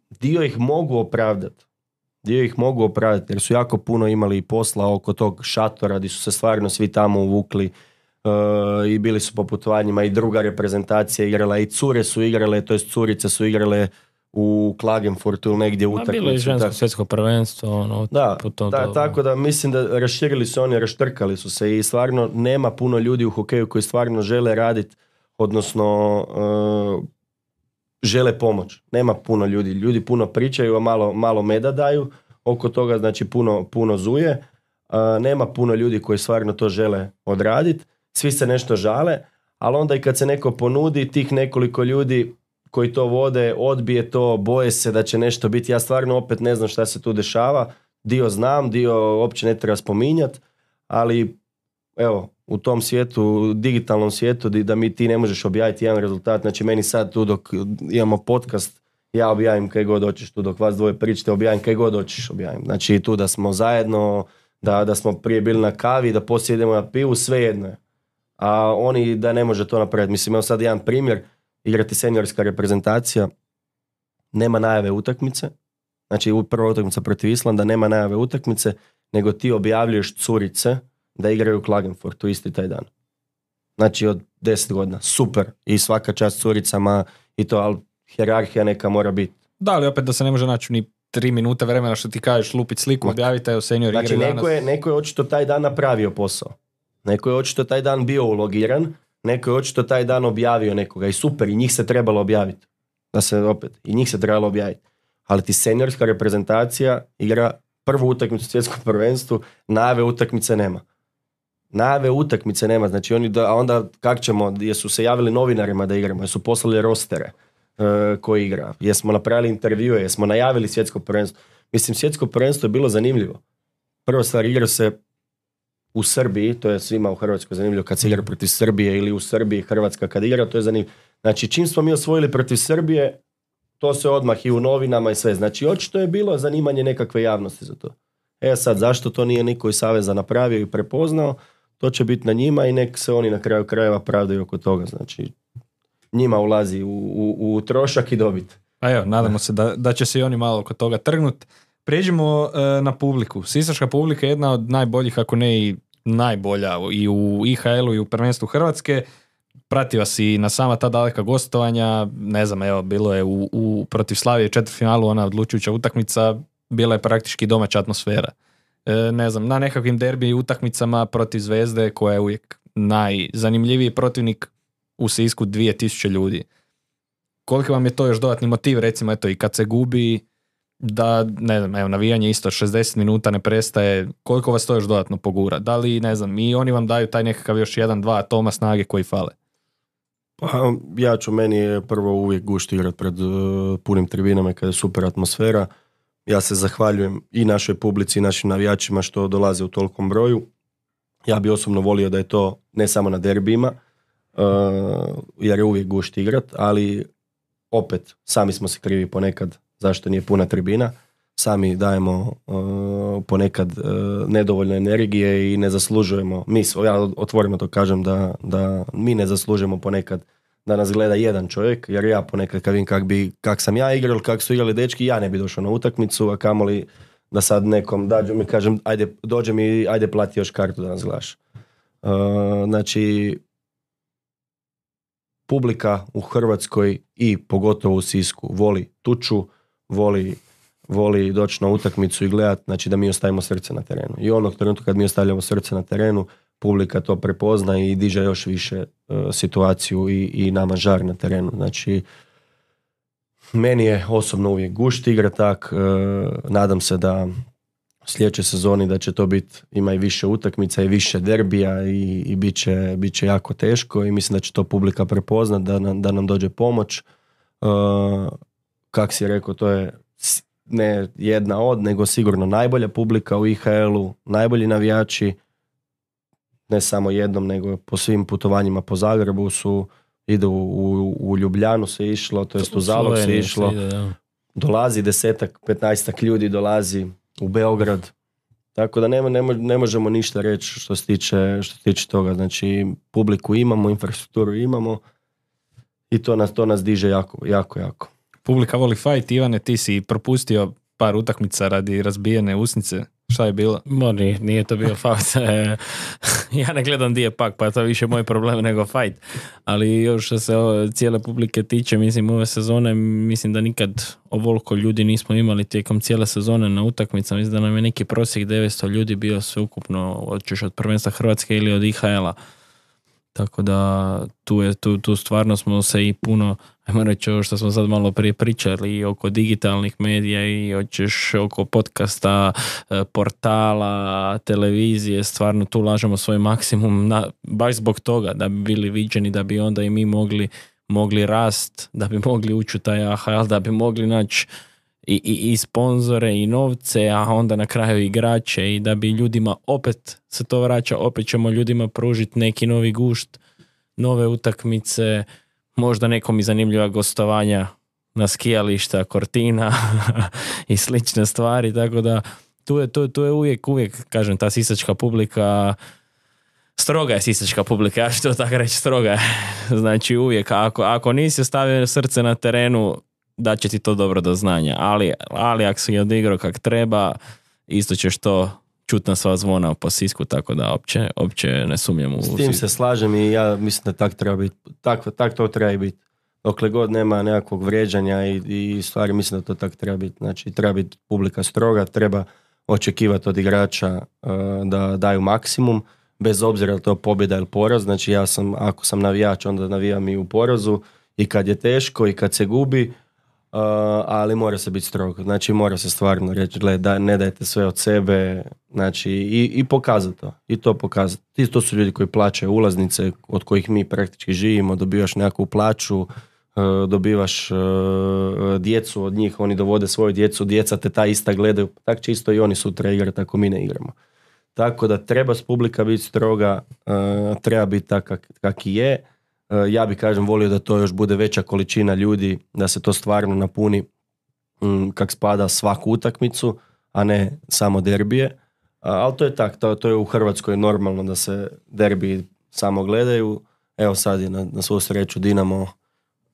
Dio ih mogu opravdati. Dio ih mogu opravdati jer su jako puno imali posla oko tog šatora gdje su se stvarno svi tamo uvukli. Uh, i bili su po putovanjima i druga reprezentacija igrala i cure su igrale, to jest curice su igrale u Klagenfurtu ili negdje utakmicu. Bilo je žensko svjetsko prvenstvo. Ono, da, putom da, do... tako da mislim da raširili su oni, raštrkali su se i stvarno nema puno ljudi u hokeju koji stvarno žele raditi, odnosno uh, žele pomoć. Nema puno ljudi. Ljudi puno pričaju, a malo, malo meda daju oko toga, znači puno, puno zuje. Uh, nema puno ljudi koji stvarno to žele odraditi. Svi se nešto žale, ali onda i kad se neko ponudi, tih nekoliko ljudi koji to vode, odbije to, boje se da će nešto biti. Ja stvarno opet ne znam šta se tu dešava. Dio znam, dio uopće ne treba spominjati, ali evo, u tom svijetu, digitalnom svijetu, da mi ti ne možeš objaviti jedan rezultat. Znači meni sad tu dok imamo podcast, ja objavim kaj god hoćeš, tu dok vas dvoje pričate, objavim kaj god hoćeš, objavim. Znači tu da smo zajedno, da, da smo prije bili na kavi, da poslije idemo na pivu, sve jedno je. A oni da ne može to napraviti. Mislim, evo sad jedan primjer, igrati seniorska reprezentacija, nema najave utakmice, znači prva utakmica protiv Islanda, nema najave utakmice, nego ti objavljuješ curice da igraju u Klagenfurtu isti taj dan. Znači od deset godina, super, i svaka čast curicama i to, ali hijerarhija neka mora biti. Da, ali opet da se ne može naći ni tri minute vremena što ti kažeš lupit sliku, objavite, evo senior igre znači, danas. Znači neko je, neko je očito taj dan napravio posao. Neko je očito taj dan bio ulogiran, neko je očito taj dan objavio nekoga i super, i njih se trebalo objaviti. Da se opet, i njih se trebalo objaviti. Ali ti seniorska reprezentacija igra prvu utakmicu u svjetskom prvenstvu, najave utakmice nema. Najave utakmice nema, znači oni da, a onda kak ćemo, jesu se javili novinarima da igramo, jesu poslali rostere uh, koji igra, jesmo napravili intervjue, jesmo najavili svjetsko prvenstvo. Mislim, svjetsko prvenstvo je bilo zanimljivo. Prva stvar, igra se u Srbiji, to je svima u Hrvatskoj zanimljivo kad se igra protiv Srbije, ili u Srbiji Hrvatska kad igra, to je zanimljivo. Znači, čim smo mi osvojili protiv Srbije, to se odmah i u novinama i sve. Znači, očito je bilo zanimanje nekakve javnosti za to. E sad, zašto to nije niko iz Saveza napravio i prepoznao, to će biti na njima i nek se oni na kraju krajeva pravdaju oko toga. Znači, njima ulazi u, u, u trošak i dobit. A evo, nadamo se da, da će se i oni malo oko toga trgnut. Prijeđimo e, na publiku. Sisačka publika je jedna od najboljih, ako ne i najbolja i u I H L-u i u prvenstvu Hrvatske. Prati vas i na sama ta daleka gostovanja, ne znam, evo, bilo je u, u protiv Slavije četvrtfinalu, ona odlučujuća utakmica, bila je praktički domaća atmosfera. E, ne znam, na nekakvim derbi utakmicama protiv Zvezde, koja je uvijek najzanimljiviji protivnik, u Sisku dvije tisuće ljudi. Koliko vam je to još dodatni motiv, recimo, eto, i kad se gubi, da, ne znam, evo, navijanje isto šezdeset minuta ne prestaje, koliko vas to još dodatno pogura? Da li, ne znam, i oni vam daju taj nekakav još jedan, dva atoma snage koji fale? Pa, ja ću, meni je prvo uvijek gušt igrat pred uh, punim tribinama kada je super atmosfera. Ja se zahvaljujem i našoj publici i našim navijačima što dolaze u tolikom broju. Ja bi osobno volio da je to ne samo na derbijima, uh, jer je uvijek gušt igrat, ali opet, sami smo se krivi ponekad zašto nije puna tribina. Sami dajemo uh, ponekad uh, nedovoljno energije i ne zaslužujemo, mi, ja otvoreno to kažem, da, da mi ne zaslužujemo ponekad da nas gleda jedan čovjek, jer ja ponekad kad vidim kak, bi, kak sam ja igrao, kak su igrali dečki, ja ne bi došao na utakmicu, a kamoli da sad nekom dađu mi kažem, ajde, dođe mi, ajde plati još kartu da nas gledaš. Uh, znači, publika u Hrvatskoj i pogotovo u Sisku voli tuču, voli, voli doći na utakmicu i gledati, znači da mi ostavimo srce na terenu. I onog trenutka kad mi ostavljamo srce na terenu, publika to prepozna i diže još više uh, situaciju i, i nama žar na terenu. Znači, meni je osobno uvijek gušt igra tak, uh, nadam se da sljedećoj sezoni da će to biti, ima i više utakmica i više derbija i, i bit će, bit će jako teško i mislim da će to publika prepoznat, da nam, da nam dođe pomoć. Uh, kak si rekao, to je ne jedna od, nego sigurno najbolja publika u I H L-u, najbolji navijači, ne samo jednom, nego po svim putovanjima po Zagrebu su, idu u, u Ljubljanu se išlo, to jest u Zalog se išlo, ide, ja. Dolazi desetak, petnaestak ljudi dolazi u Beograd, tako da ne, ne, ne možemo ništa reći što se tiče, što se tiče toga, znači publiku imamo, infrastrukturu imamo i to nas, to nas diže jako, jako, jako. Publika voli fight. Ivane, ti si propustio par utakmica radi razbijene usnice. Šta je bilo? Mo, nije, nije to bio fight. Ja ne gledam di je pak, pa to je više moj problem nego fight. Ali još što se o, cijele publike tiče, mislim, ove sezone, mislim da nikad ovoliko ljudi nismo imali tijekom cijele sezone na utakmicama. Mislim da nam je neki prosjek devetsto ljudi bio sveukupno, hoćeš od prvenstva Hrvatske ili od I H L-a. Tako da tu, je, tu, tu stvarno smo se i puno, ajmo reći ovo što smo sad malo prije pričali i oko digitalnih medija i hoćeš oko podcasta, portala, televizije, stvarno tu lažemo svoj maksimum na, baš zbog toga da bi bili viđeni, da bi onda i mi mogli, mogli rast, da bi mogli ući u taj A H L, da bi mogli naći i, i, i sponzore i novce, a onda na kraju igrače i da bi ljudima opet se to vraća, opet ćemo ljudima pružiti neki novi gušt, nove utakmice, možda nekom i zanimljiva gostovanja na skijališta, Cortina i slične stvari, tako da tu je, tu, tu je uvijek, uvijek, kažem, ta sisačka publika, stroga je sisačka publika, ja ću to tako reći, stroga je. Znači uvijek, ako, ako nisi ostavio srce na terenu, da će ti to dobro do znanja, ali, ali ako si odigrao kak treba, isto ćeš to čut na sva zvona po Sisku, tako da opće, opće ne sumnjam u... S tim se slažem i ja mislim da tak treba biti, tak, tak to treba i biti. Dokle god nema nekakvog vrijeđanja i, i stvari, mislim da to tak treba biti. Znači, treba biti publika stroga, treba očekivati od igrača uh, da daju maksimum, bez obzira je to pobjeda ili poraz. Znači, ja sam, ako sam navijač, onda navijam i u porazu i kad je teško i kad se gubi, Uh, ali mora se biti strog, znači mora se stvarno reći, gled, da, ne dajte sve od sebe, znači i, i pokazati to, i to pokazati. Ti to su ljudi koji plaćaju ulaznice, od kojih mi praktički živimo, dobivaš nekakvu plaću, uh, dobivaš uh, djecu od njih, oni dovode svoju djecu, djeca te ta ista gledaju, tako će isto i oni sutra igrati ako mi ne igramo. Tako da treba s publika biti stroga, uh, treba biti tak kak, kak i je. Ja bi, kažem, volio da to još bude veća količina ljudi, da se to stvarno napuni m, kak spada svaku utakmicu, a ne samo derbije. A, ali to je tak, to, to je u Hrvatskoj normalno da se derbiji samo gledaju. Evo sad je na, na svu sreću Dinamo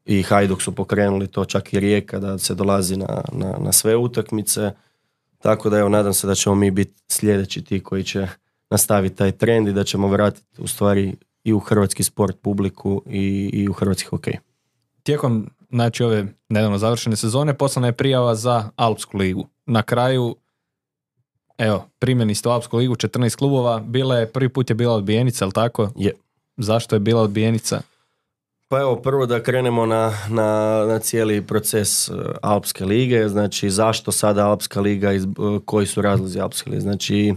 i Hajduk su pokrenuli to, čak i Rijeka, da se dolazi na, na, na sve utakmice. Tako da evo, nadam se da ćemo mi biti sljedeći ti koji će nastaviti taj trend i da ćemo vratiti u stvari i u hrvatski sport publiku i, i u hrvatski hokej. Tijekom, znači, ove nedavno završene sezone poslana je prijava za Alpsku ligu. Na kraju, evo, primjeni ste u Alpsku ligu, četrnaest klubova, bila je, prvi put je bila odbijenica, ali tako? Je. Zašto je bila odbijenica? Pa evo, prvo da krenemo na, na, na cijeli proces Alpske lige, znači zašto sada Alpska liga, iz, koji su razlozi Alpske lige, znači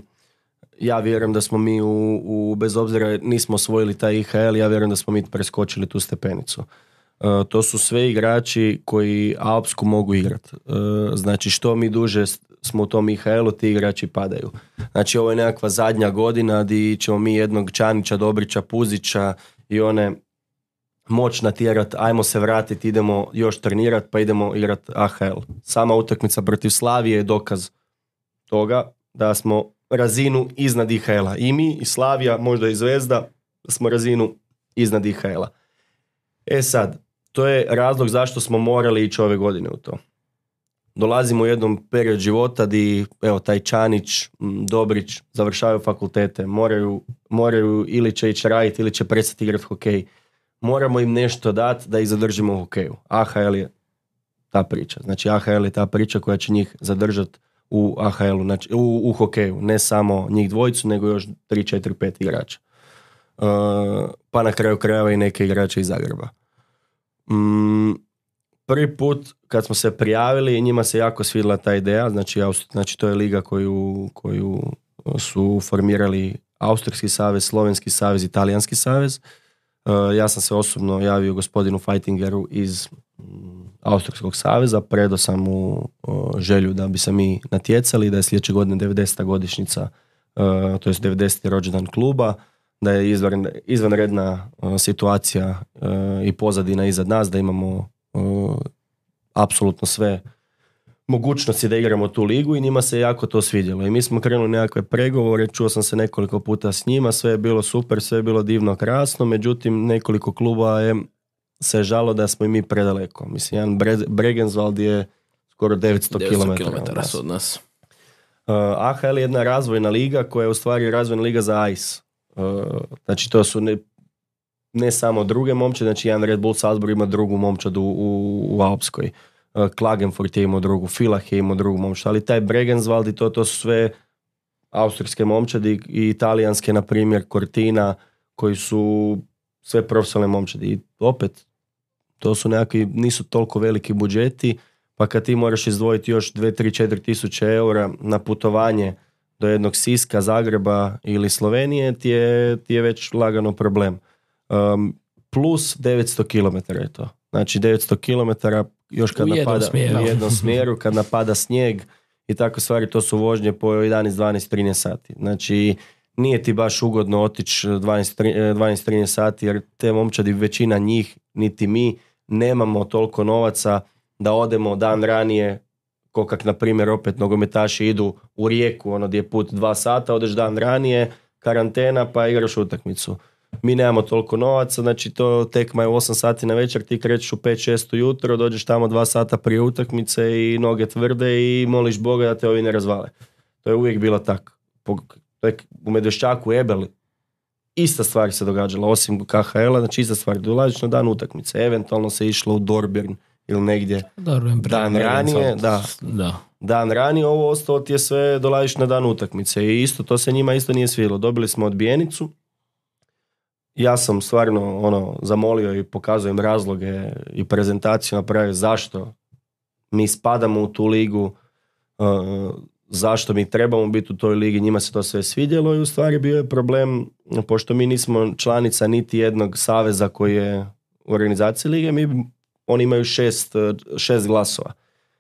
ja vjerujem da smo mi u, u bez obzira nismo osvojili taj I H L, ja vjerujem da smo mi preskočili tu stepenicu. Uh, to su sve igrači koji Alpsku mogu igrati. Uh, znači što mi duže smo u tom I H L-u, ti igrači padaju. Znači ovo je nekakva zadnja godina gdje ćemo mi jednog Čanića, Dobrića, Puzića i one moć natjerat, ajmo se vratiti, idemo još trenirati, pa idemo igrati A H L. Sama utakmica protiv Slavije je dokaz toga da smo razinu iznad I H L-a. I mi, i Slavija, možda i Zvezda, smo razinu iznad I H L-a. E sad, to je razlog zašto smo morali ići ove godine u to. Dolazimo u jednom period života di, evo, taj Čanić, Dobrić završavaju fakultete, moraju, moraju ili će ići raditi ili će prestati igrati hokej. Moramo im nešto dati da ih zadržimo u hokeju. A H L je ta priča. Znači A H L je ta priča koja će njih zadržati u A H L-u, znači u, u hokeju. Ne samo njih dvojicu, nego još tri, četiri, pet igrača. Uh, pa na kraju krajeva i neke igrače iz Zagreba. Mm, prvi put kad smo se prijavili, njima se jako svidjela ta ideja, znači, Aust- znači to je liga koju, koju su formirali Austrijski savez, Slovenski savez, Italijanski savez. Uh, ja sam se osobno javio gospodinu Fightingeru iz um, Austrijskog saveza, predao sam mu uh, želju da bi se mi natjecali, da je sljedeće godine devedeseta godišnjica, uh, to je devedeseti rođendan kluba, da je izvan, izvanredna uh, situacija uh, i pozadina iza nas, da imamo uh, apsolutno sve mogućnosti da igramo tu ligu i njima se jako to svidjelo. I mi smo krenuli nekakve pregovore, čuo sam se nekoliko puta s njima, sve je bilo super, sve je bilo divno, krasno, međutim nekoliko kluba je se žalo da smo i mi predaleko. Mislim, jedan Bre- Bregenzwald je skoro devetsto kilometara od nas. Uh, A H L je jedna razvojna liga koja je u stvari razvojna liga za A I S. Uh, znači to su ne, ne samo druge momče, znači jedan Red Bull Salzburg ima drugu momčadu u, u Alpskoj. Uh, Klagenfurt je imao drugu, Villach je imao drugu momčadu, ali taj Bregenzwald i to, to su sve austrijske momčadi i italijanske, na primjer Cortina, koji su sve profesionalne momčadi. I opet, to su nekakvi, nisu toliko veliki budžeti, pa kad ti moraš izdvojiti još dve, tri, četiri tisuće eura na putovanje do jednog Siska, Zagreba ili Slovenije, ti je, ti je već lagano problem. Um, plus devetsto kilometara je to. Znači devetsto kilometara još kad u napada smjeru. u jednom smjeru, kad napada snijeg i takve stvari, to su vožnje po jedanaest, dvanaest, trinaest sati. Znači nije ti baš ugodno otići dvanaest, trinaest sati, jer te momčadi, većina njih, niti mi, nemamo toliko novaca da odemo dan ranije, ko kak na primjer opet nogometaši idu u Rijeku, ono gdje je put dva sata, odeš dan ranije, karantena pa igraš utakmicu. Mi nemamo toliko novaca, znači to tekma je u osam sati na večer, ti krećeš u pet šest ujutro, dođeš tamo dva sata prije utakmice i noge tvrde i moliš Boga da te ovi ne razvale. To je uvijek bilo tako. U Medveščaku, Ebel, ista stvar se događala, osim K H L-a, znači ista stvar, dolaziš na dan utakmice, eventualno se išlo u Dornbirn ili negdje Darwin, dan ranije, da, da. dan ranije, ovo ostalo ti je sve, dolaziš na dan utakmice i isto, to se njima isto nije svidjelo. Dobili smo odbijenicu, ja sam stvarno ono, zamolio i pokazujem razloge i prezentaciju napravio zašto mi spadamo u tu ligu, uh, zašto mi trebamo biti u toj ligi, njima se to sve svidjelo i u stvari bio je problem, pošto mi nismo članica niti jednog saveza koji je u organizaciji lige, mi, oni imaju šest, šest glasova.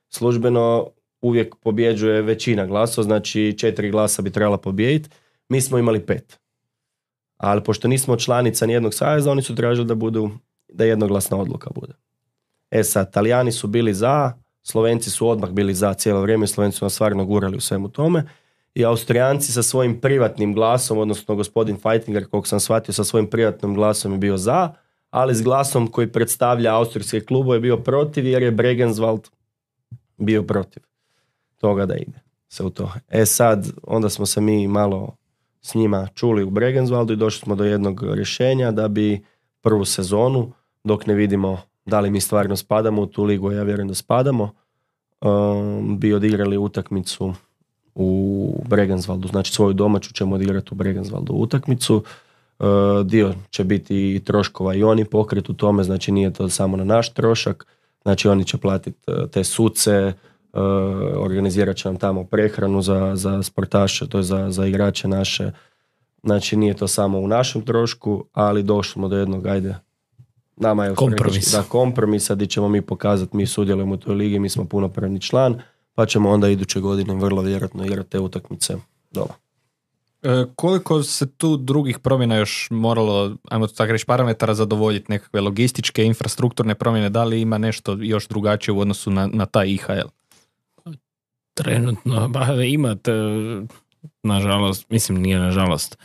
Službeno uvijek pobjeđuje većina glasova, znači četiri glasa bi trebala pobijediti, mi smo imali pet. Ali pošto nismo članica nijednog saveza, oni su tražili da budu, da jednoglasna odluka bude. E sad, Talijani su bili za, Slovenci su odmah bili za cijelo vrijeme, Slovenci su nas stvarno gurali u svemu tome i Austrijanci sa svojim privatnim glasom, odnosno gospodin Fightinger, koliko sam shvatio, sa svojim privatnim glasom je bio za, ali s glasom koji predstavlja austrijske klubove je bio protiv, jer je Bregenzwald bio protiv toga da ide se u to. E sad, onda smo se mi malo s njima čuli u Bregenzwaldu i došli smo do jednog rješenja da bi prvu sezonu, dok ne vidimo da li mi stvarno spadamo u tu ligu, ja vjerujem da spadamo, um, bi odigrali utakmicu u Bregenzwaldu, znači svoju domaću ćemo odigrati u Bregenzwaldu utakmicu. Uh, dio će biti i troškova i oni pokret u tome, znači nije to samo na naš trošak, znači oni će platiti uh, te suce, uh, organizirat će nam tamo prehranu za, za sportaše, to je za, za igrače naše, znači nije to samo u našem trošku, ali došli smo do jednog, ajde, nama je kompromis. Da, kompromisa gdje ćemo mi pokazati, mi sudjelujemo u toj ligi, mi smo punopravni član, pa ćemo onda iduće godine vrlo vjerojatno igrati te utakmice doma. E, koliko se tu drugih promjena još moralo, ajmo tako reći, parametara zadovoljiti, nekakve logističke, infrastrukturne promjene, da li ima nešto još drugačije u odnosu na, na taj I H L? Trenutno, ba, imate, nažalost, mislim nije nažalost,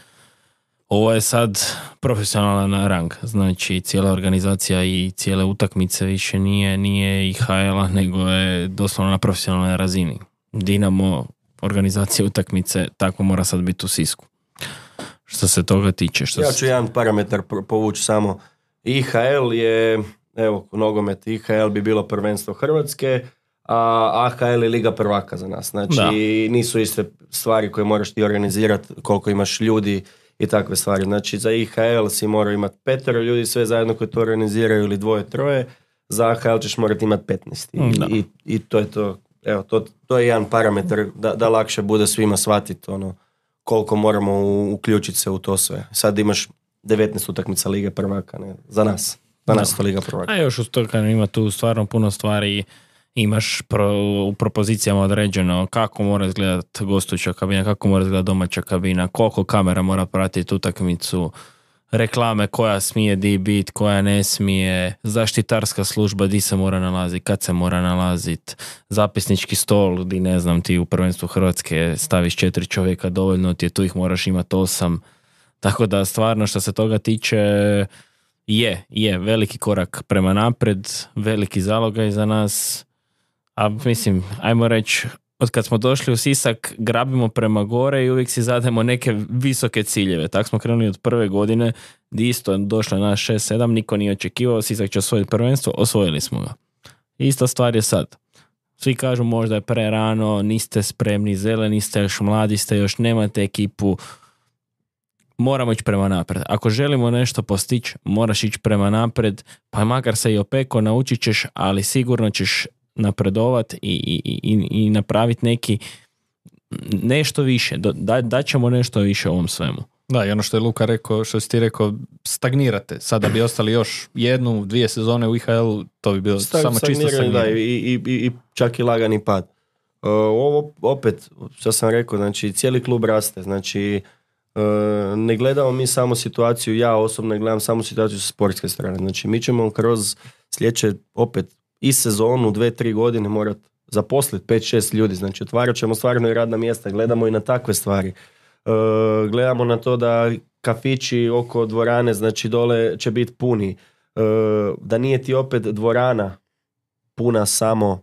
ovo je sad profesionalan rang, znači cijela organizacija i cijele utakmice više nije, nije I H L-a, nego je doslovno na profesionalnoj razini. Dinamo, organizacija utakmice, tako mora sad biti u Sisku. Što se toga tiče. Što ja ću jedan parametar povući samo. I H L je, evo, nogomet I H L bi bilo prvenstvo Hrvatske, a A H L je liga prvaka za nas. Znači da. Nisu iste stvari koje moraš ti organizirati, koliko imaš ljudi i takve stvari. Znači za I H L si mora imati petero ljudi sve zajedno koji to organiziraju ili dvoje, troje. za A H L ćeš morati imati petnaest. I, i, i to je to. Evo, to, to je jedan parametar da, da lakše bude svima shvatiti ono, koliko moramo u, uključiti se u to sve. Sad imaš devetnaest utakmica Lige prvaka, ne? Za nas. Za nas to Liga prvaka. A još uz to kad ima tu stvarno puno stvari, imaš pro, u propozicijama određeno kako mora izgledati gostujuća kabina, kako mora izgledati domaća kabina, koliko kamera mora pratiti utakmicu, reklame koja smije di bit, koja ne smije, zaštitarska služba di se mora nalaziti, kad se mora nalaziti, zapisnički stol di ne znam ti u prvenstvu Hrvatske staviš četiri čovjeka, dovoljno ti je, tu ih moraš imati osam. Tako da stvarno što se toga tiče je, je veliki korak prema napred, veliki zalogaj za nas, a mislim, ajmo reći, od kad smo došli u Sisak, grabimo prema gore i uvijek si zademo neke visoke ciljeve. Tako smo krenuli od prve godine, gdje isto došlo na šest sedam, niko nije očekivao, Sisak će osvojiti prvenstvo, osvojili smo ga. Ista stvar je sad. Svi kažu možda je prerano, niste spremni, zeleni ste, još mladi ste, još nemate ekipu. Moramo ići prema napred. Ako želimo nešto postići, moraš ići prema napred, pa makar se i opeko, naučit ćeš, ali sigurno ćeš napredovat i, i, i, i napraviti neki nešto više. Da, da ćemo nešto više ovom svemu. Da, i ono što je Luka rekao, što si ti rekao, stagnirate. Sada bi ostali još jednu, dvije sezone u I H L-u, to bi bilo Stag, samo čisto stagniranje. Da, i, i, i čak i lagani pad. Uh, ovo opet, što sam rekao, znači cijeli klub raste, znači uh, ne gledamo mi samo situaciju, ja osobno ne gledam samo situaciju sa sportske strane, znači mi ćemo kroz sljedeće opet i sezonu, dve, tri godine morati zaposliti pet, šest ljudi, znači otvarat ćemo stvarno i radna mjesta, gledamo i na takve stvari. Uh, gledamo na to da kafići oko dvorane, znači dole će biti puni. Uh, da nije ti opet dvorana puna samo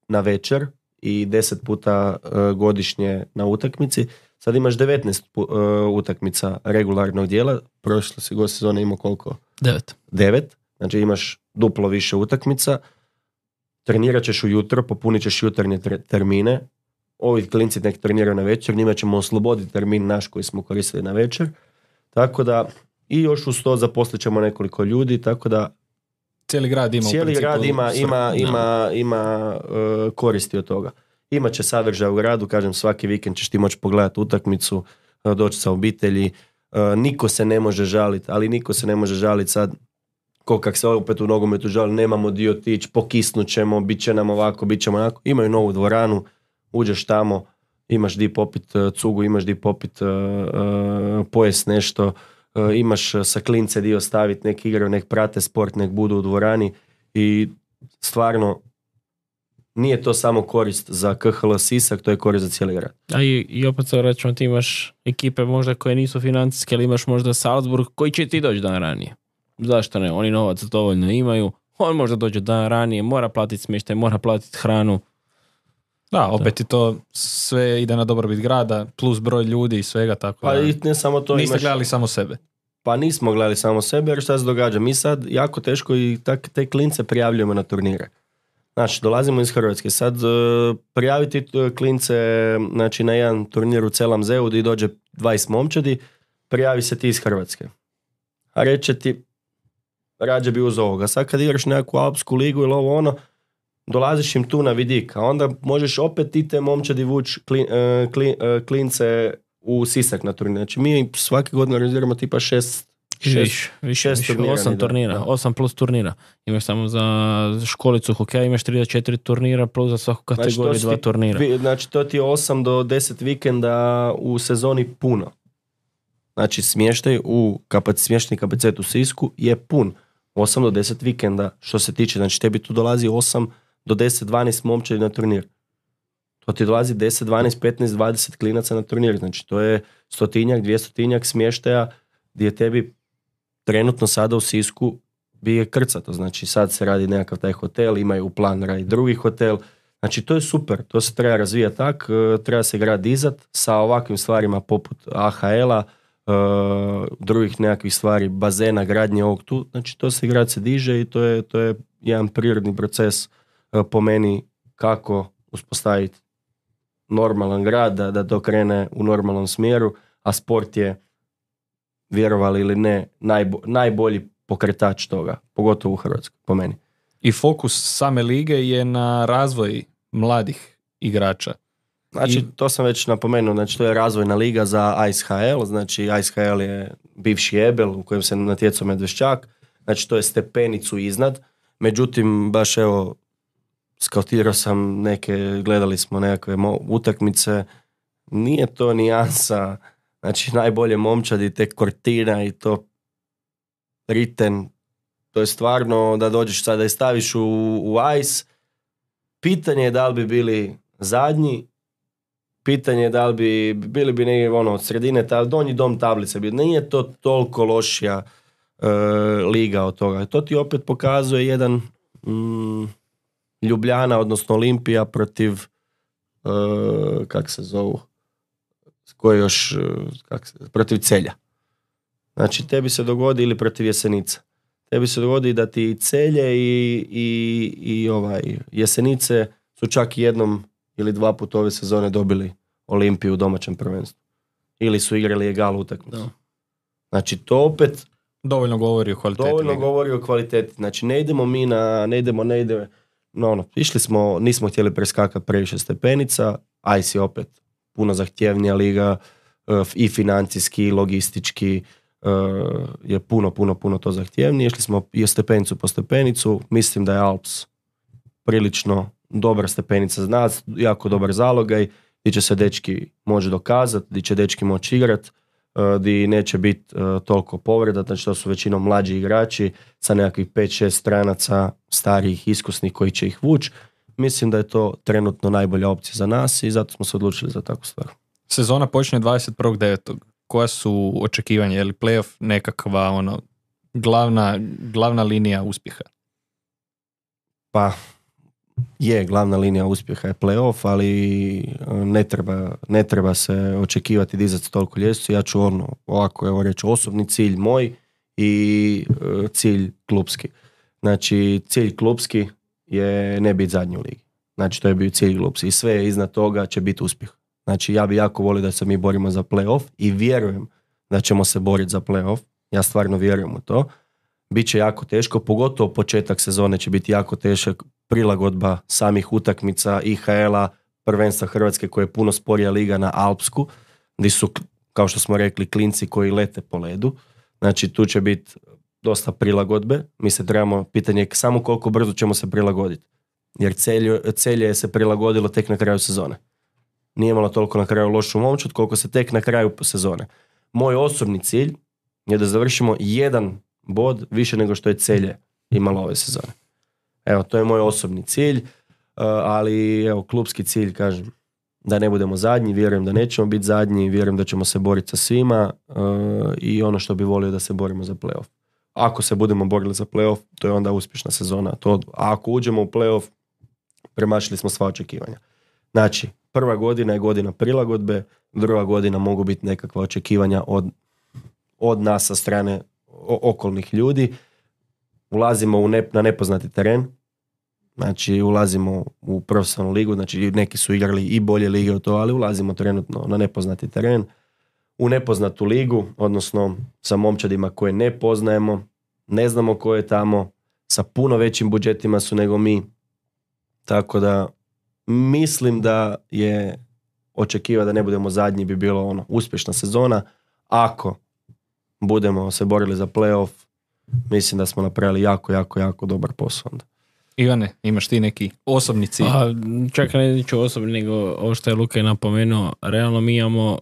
na večer i deset puta uh, godišnje na utakmici. Sad imaš devetnaest uh, utakmica regularnog dijela, prošle si go sezone imao koliko? Devet. Devet, znači imaš duplo više utakmica, trenirat ćeš ujutro, popunit ćeš jutarnje termine, ovi klinci nek treniraju na večer, njima ćemo osloboditi termin naš koji smo koristili na večer, tako da i još uz to zaposlit ćemo nekoliko ljudi, tako da cijeli grad ima cijeli u grad ima, svrhu, ima, no. ima, ima uh, koristi od toga. Imaće sadržaj u gradu, kažem svaki vikend ćeš ti moći pogledati utakmicu, uh, doći sa obitelji, uh, niko se ne može žaliti, ali niko se ne može žaliti sad ko kak se opet u nogometu žali, nemamo dio otići, pokisnut ćemo, bit će nam ovako, bit ćemo onako. Imaju novu dvoranu, uđeš tamo, imaš di popit uh, cugu, imaš di popit uh, uh, pojest nešto, uh, imaš sa klince dio staviti, nek igraju, nek prate sport, nek budu u dvorani i stvarno nije to samo korist za K H L Sisak, to je korist za cijeli grad. A i, i opet se rećemo, ti imaš ekipe možda koje nisu financijske, ali imaš možda Salzburg koji će ti doći dan ranije. Zašto ne? Oni novac dovoljno imaju, on možda dođe dan ranije, mora platiti smještaj, mora platiti hranu. Da, opet i to sve ide na dobrobit grada, plus broj ljudi i svega, tako pa da i ne samo to, niste imaš... gledali samo sebe. Pa nismo gledali samo sebe, jer šta se događa? Mi sad jako teško i tak, te klince prijavljujemo na turnire. Znači, dolazimo iz Hrvatske. Sad uh, prijaviti klince znači, na jedan turnir u Celam Zeu gdje dođe dvadeset momčadi, prijavi se ti iz Hrvatske. A reće ti, rađe bi uz ovoga. Sad kad igraš nekakvu alpsku ligu ili ovo ono, dolaziš im tu na vidik, a onda možeš opet ti te momčadi vući klin, uh, klin, uh, klince u Sisak na turnir. Znači mi svake godine organiziramo tipa šest, šest, Viš, više, šest više, turnira. osam turnira, da. osam plus turnira. Imaš samo za školicu hokeja, imaš tri do četiri turnira plus za svaku kategoriju znači, dva ti, turnira. Vi, znači to ti je osam do deset vikenda u sezoni puno. Znači smještaj u kapac, smješteni kapacitet u Sisku je pun. osam do deset vikenda što se tiče. Znači tebi tu dolazi osam do deset dvanaest momčadi na turnir. To ti dolazi deset, dvanaest, petnaest, dvadeset klinaca na turnir. Znači to je stotinjak, dvjestotinjak smještaja gdje tebi trenutno sada u Sisku bi je krcato. Znači sad se radi nekakav taj hotel, imaju u plan radi drugi hotel. Znači to je super, to se treba razvijati tak, treba se grad dizat sa ovakvim stvarima poput A H L-a, Uh, drugih nekakvih stvari, bazena, gradnje ovog tu, znači to se grad se diže i to je, to je jedan prirodni proces uh, po meni kako uspostaviti normalan grad, da, da to krene u normalnom smjeru, a sport je, vjerovali ili ne, najbo, najbolji pokretač toga, pogotovo u Hrvatskoj, po meni. i fokus same lige je na razvoj mladih igrača. Znači, I- to sam već napomenuo, znači to je razvojna liga za Ice H L, znači Ice H L je bivši Ebel u kojem se natjecao Medveščak, znači to je stepenicu iznad, međutim, baš evo, skautirao sam neke, gledali smo nekakve mo- utakmice, nije to nijansa, znači najbolje momčadi, tek Cortina i to Riten, to je stvarno da dođeš sada i staviš u, u Ice, pitanje je da li bi bili zadnji, pitanje je da li bi bili bi negdje ono, od sredine, ta, donji dom tablice, bi, nije to toliko lošija e, liga od toga. To ti opet pokazuje jedan mm, Ljubljana, odnosno Olimpija protiv e, kak se zovu, koji još, e, kak se, protiv Celja. Znači, tebi se dogodi ili protiv Jesenica. Tebi se dogodi da ti Celje i, i, i ovaj, Jesenice su čak jednom ili dva puta ove sezone dobili Olimpiju u domaćem prvenstvu. Ili su igrali egal utakmicu. Da. Znači, to opet Dovoljno govori o kvaliteti dovoljno lige. govori o kvaliteti. Znači, ne idemo mi na, ne idemo, ne idemo, no, ono, išli smo, nismo htjeli preskakati previše stepenica, Ice je opet puno zahtjevnija liga, uh, i financijski, i logistički, uh, je puno, puno, puno to zahtjevnije. Išli smo i stepenicu po stepenicu, mislim da je Alps prilično dobra stepenica za nas, jako dobar zalogaj, gdje će se dečki moći dokazati, gdje će dečki moći igrat, uh, gdje neće biti uh, toliko povreda, znači to su većinom mlađi igrači sa nekakvih pet šest stranaca starijih, iskusnih koji će ih vući. Mislim da je to trenutno najbolja opcija za nas i zato smo se odlučili za takvu stvar. Sezona počinje dvadeset prvog devetog Koja su očekivanja? Je li playoff nekakva ono, glavna, glavna linija uspjeha? Pa je, glavna linija uspjeha je playoff, ali ne treba, ne treba se očekivati dizati toliko ljestvicu. Ja ću ono, ovako evo reći, osobni cilj moj i e, cilj klubski. Znači, cilj klubski je ne biti zadnji u ligi. Znači, to je bio cilj klubski. I sve iznad toga će biti uspjeh. Znači, ja bi jako volio da se mi borimo za playoff i vjerujem da ćemo se boriti za playoff. Ja stvarno vjerujem u to. Biće jako teško, pogotovo početak sezone će biti jako tešak, prilagodba samih utakmica I H L-a, prvenstva Hrvatske koje je puno sporija liga na Alpsku, gdje su, kao što smo rekli, klinci koji lete po ledu. Znači, tu će biti dosta prilagodbe. Mi se trebamo, pitanje je samo koliko brzo ćemo se prilagoditi. Jer Celje, Celje se prilagodilo tek na kraju sezone. Nije imalo toliko na kraju lošu momčad koliko se tek na kraju sezone. Moj osobni cilj je da završimo jedan bod više nego što je Celje imalo ove sezone. Evo, to je moj osobni cilj, ali evo, klubski cilj, kažem, da ne budemo zadnji, vjerujem da nećemo biti zadnji, vjerujem da ćemo se boriti sa svima i ono što bi volio da se borimo za playoff. Ako se budemo borili za playoff, to je onda uspješna sezona. To, a ako uđemo u playoff, premašili smo sva očekivanja. Znači, prva godina je godina prilagodbe, druga godina mogu biti nekakva očekivanja od, od nas sa strane okolnih ljudi. Ulazimo u ne, na nepoznati teren, znači ulazimo u profesionalnu ligu, znači neki su igrali i bolje lige od to, ali ulazimo trenutno na nepoznati teren, u nepoznatu ligu, odnosno sa momčadima koje ne poznajemo, ne znamo ko je tamo, sa puno većim budžetima su nego mi, tako da mislim da je očekiva da ne budemo zadnji bi bilo ono uspješna sezona. Ako budemo se borili za playoff, mislim da smo napravili jako, jako, jako dobar posao onda. Ivane, imaš ti neki osobni cilj? A, čak ne ću osobni, nego ovo što je Luka je napomenuo, realno mi imamo,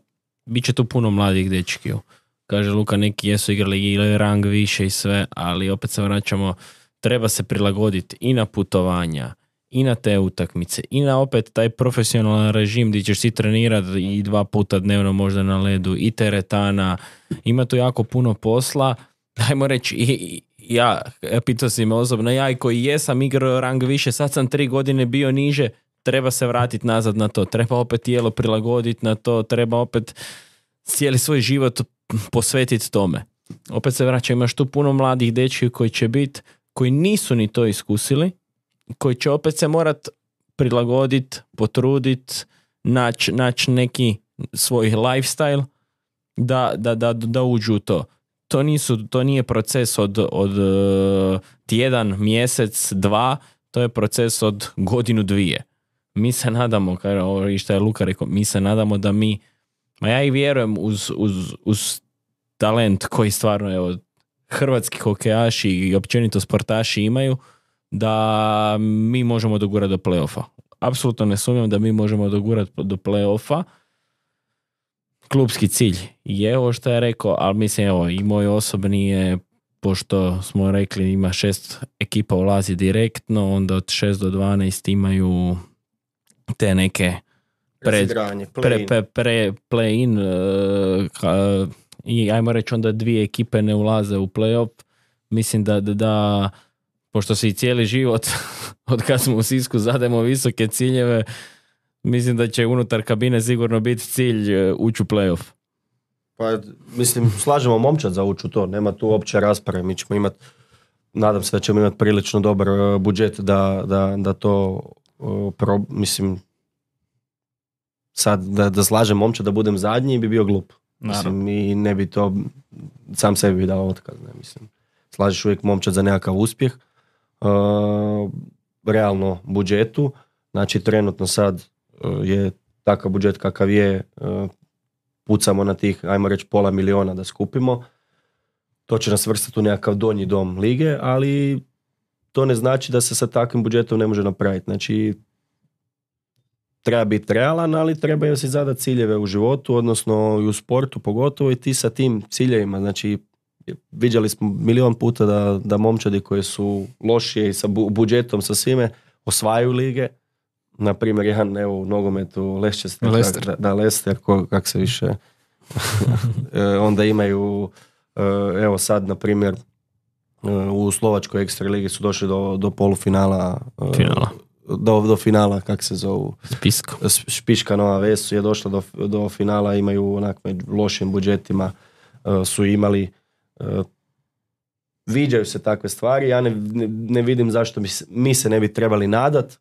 bit će tu puno mladih dečkiju. Kaže Luka, neki jesu igrali ili rang više i sve, ali opet se vraćamo, treba se prilagoditi i na putovanja, i na te utakmice, i na opet taj profesionalan režim gdje ćeš si trenirati i dva puta dnevno možda na ledu, i teretana, ima tu jako puno posla. Dajmo reći, i, ja, pitao si me osobno, ja i koji jesam igrao rang više, sad sam tri godine bio niže, treba se vratiti nazad na to, treba opet tijelo prilagoditi na to, treba opet cijeli svoj život posvetiti tome. Opet se vraća, imaš tu puno mladih dečki koji će biti, koji nisu ni to iskusili, koji će opet se morat prilagoditi, potruditi, naći nać neki svoj lifestyle da, da, da, da uđu u to. to, nisu, to nije proces od, od uh, tjedan, mjesec, dva, to je proces od godinu, dvije. Mi se nadamo, kao ovo i što je Luka rekao, mi se nadamo da mi, ma ja i vjerujem uz, uz, uz talent koji stvarno, evo, hrvatski hokejaši i općenito sportaši imaju, da mi možemo dogurati do play-offa. Apsolutno ne sumnjam da mi možemo dogurati do play-offa. Klubski cilj je ovo što je rekao, ali mislim, evo, i moj osobni je, pošto smo rekli ima šest ekipa ulazi direktno, onda od šest do dvanaest imaju te neke pred, Razigranje, pre, play-in. pre, pre, play-in uh, ka, i ajmo reći onda dvije ekipe ne ulaze u play-off. Mislim da, da, da pošto se i cijeli život od kad smo u Sisku zademo visoke ciljeve, mislim da će unutar kabine sigurno biti cilj uh, ući u play-off. Pa, mislim, slažemo momčad za ući u to, nema tu opće rasprave, mi ćemo imati, nadam se da ćemo imati prilično dobar uh, budžet da, da, da to, uh, pro, mislim, sad da, da slažem momčad da budem zadnji bi bio glup. Mislim, i ne bi to, sam sebi bi dao otkaz, ne, mislim. Slažeš uvijek momčad za nekakav uspjeh, uh, realno budžetu, znači trenutno sad uh, je takav budžet kakav je, uh, pucamo na tih, ajmo reći, pola miliona da skupimo. To će nas vrstati u nekakav donji dom lige, ali to ne znači da se sa takvim budžetom ne može napraviti. Znači, treba biti realan, ali treba si zadati ciljeve u životu, odnosno i u sportu pogotovo, i ti sa tim ciljevima. Znači, viđali smo milion puta da, da momčadi koji su lošije i sa bu- budžetom, sa svime, osvajaju lige. Na primjer, jedan, evo, u nogometu Leicester, Leicester. da, da Leicester, ko, kak se više onda imaju, evo sad, na primjer, u Slovačkoj ekstra ligi su došli do, do polufinala, Finala. do, do finala, kak se zovu, Spisko. Špiška Nova Ves je došla do, do finala, imaju onak među lošim budžetima, su imali, viđaju se takve stvari, ja ne, ne, ne vidim zašto mi, mi se ne bi trebali nadat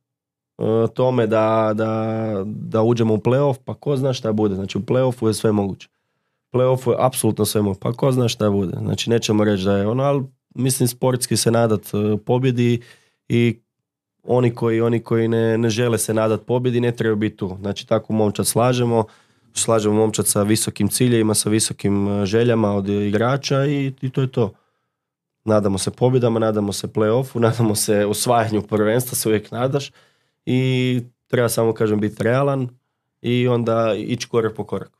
tome da, da, da uđemo u play-off, pa ko zna šta bude. Znači u play-offu je sve moguće. U play-offu je apsolutno sve moguće, pa ko zna šta bude. Znači nećemo reći da je ono, ali mislim sportski se nadat pobjedi i oni koji, oni koji ne, ne žele se nadat pobjedi ne trebaju biti tu. Znači tako momčad slažemo, slažemo momčad sa visokim ciljevima, sa visokim željama od igrača i, i to je to. Nadamo se pobjedama, nadamo se play-offu, nadamo se osvajanju prvenstva, se uvijek nadaš. I treba samo, kažem, biti realan i onda ići korak po korak.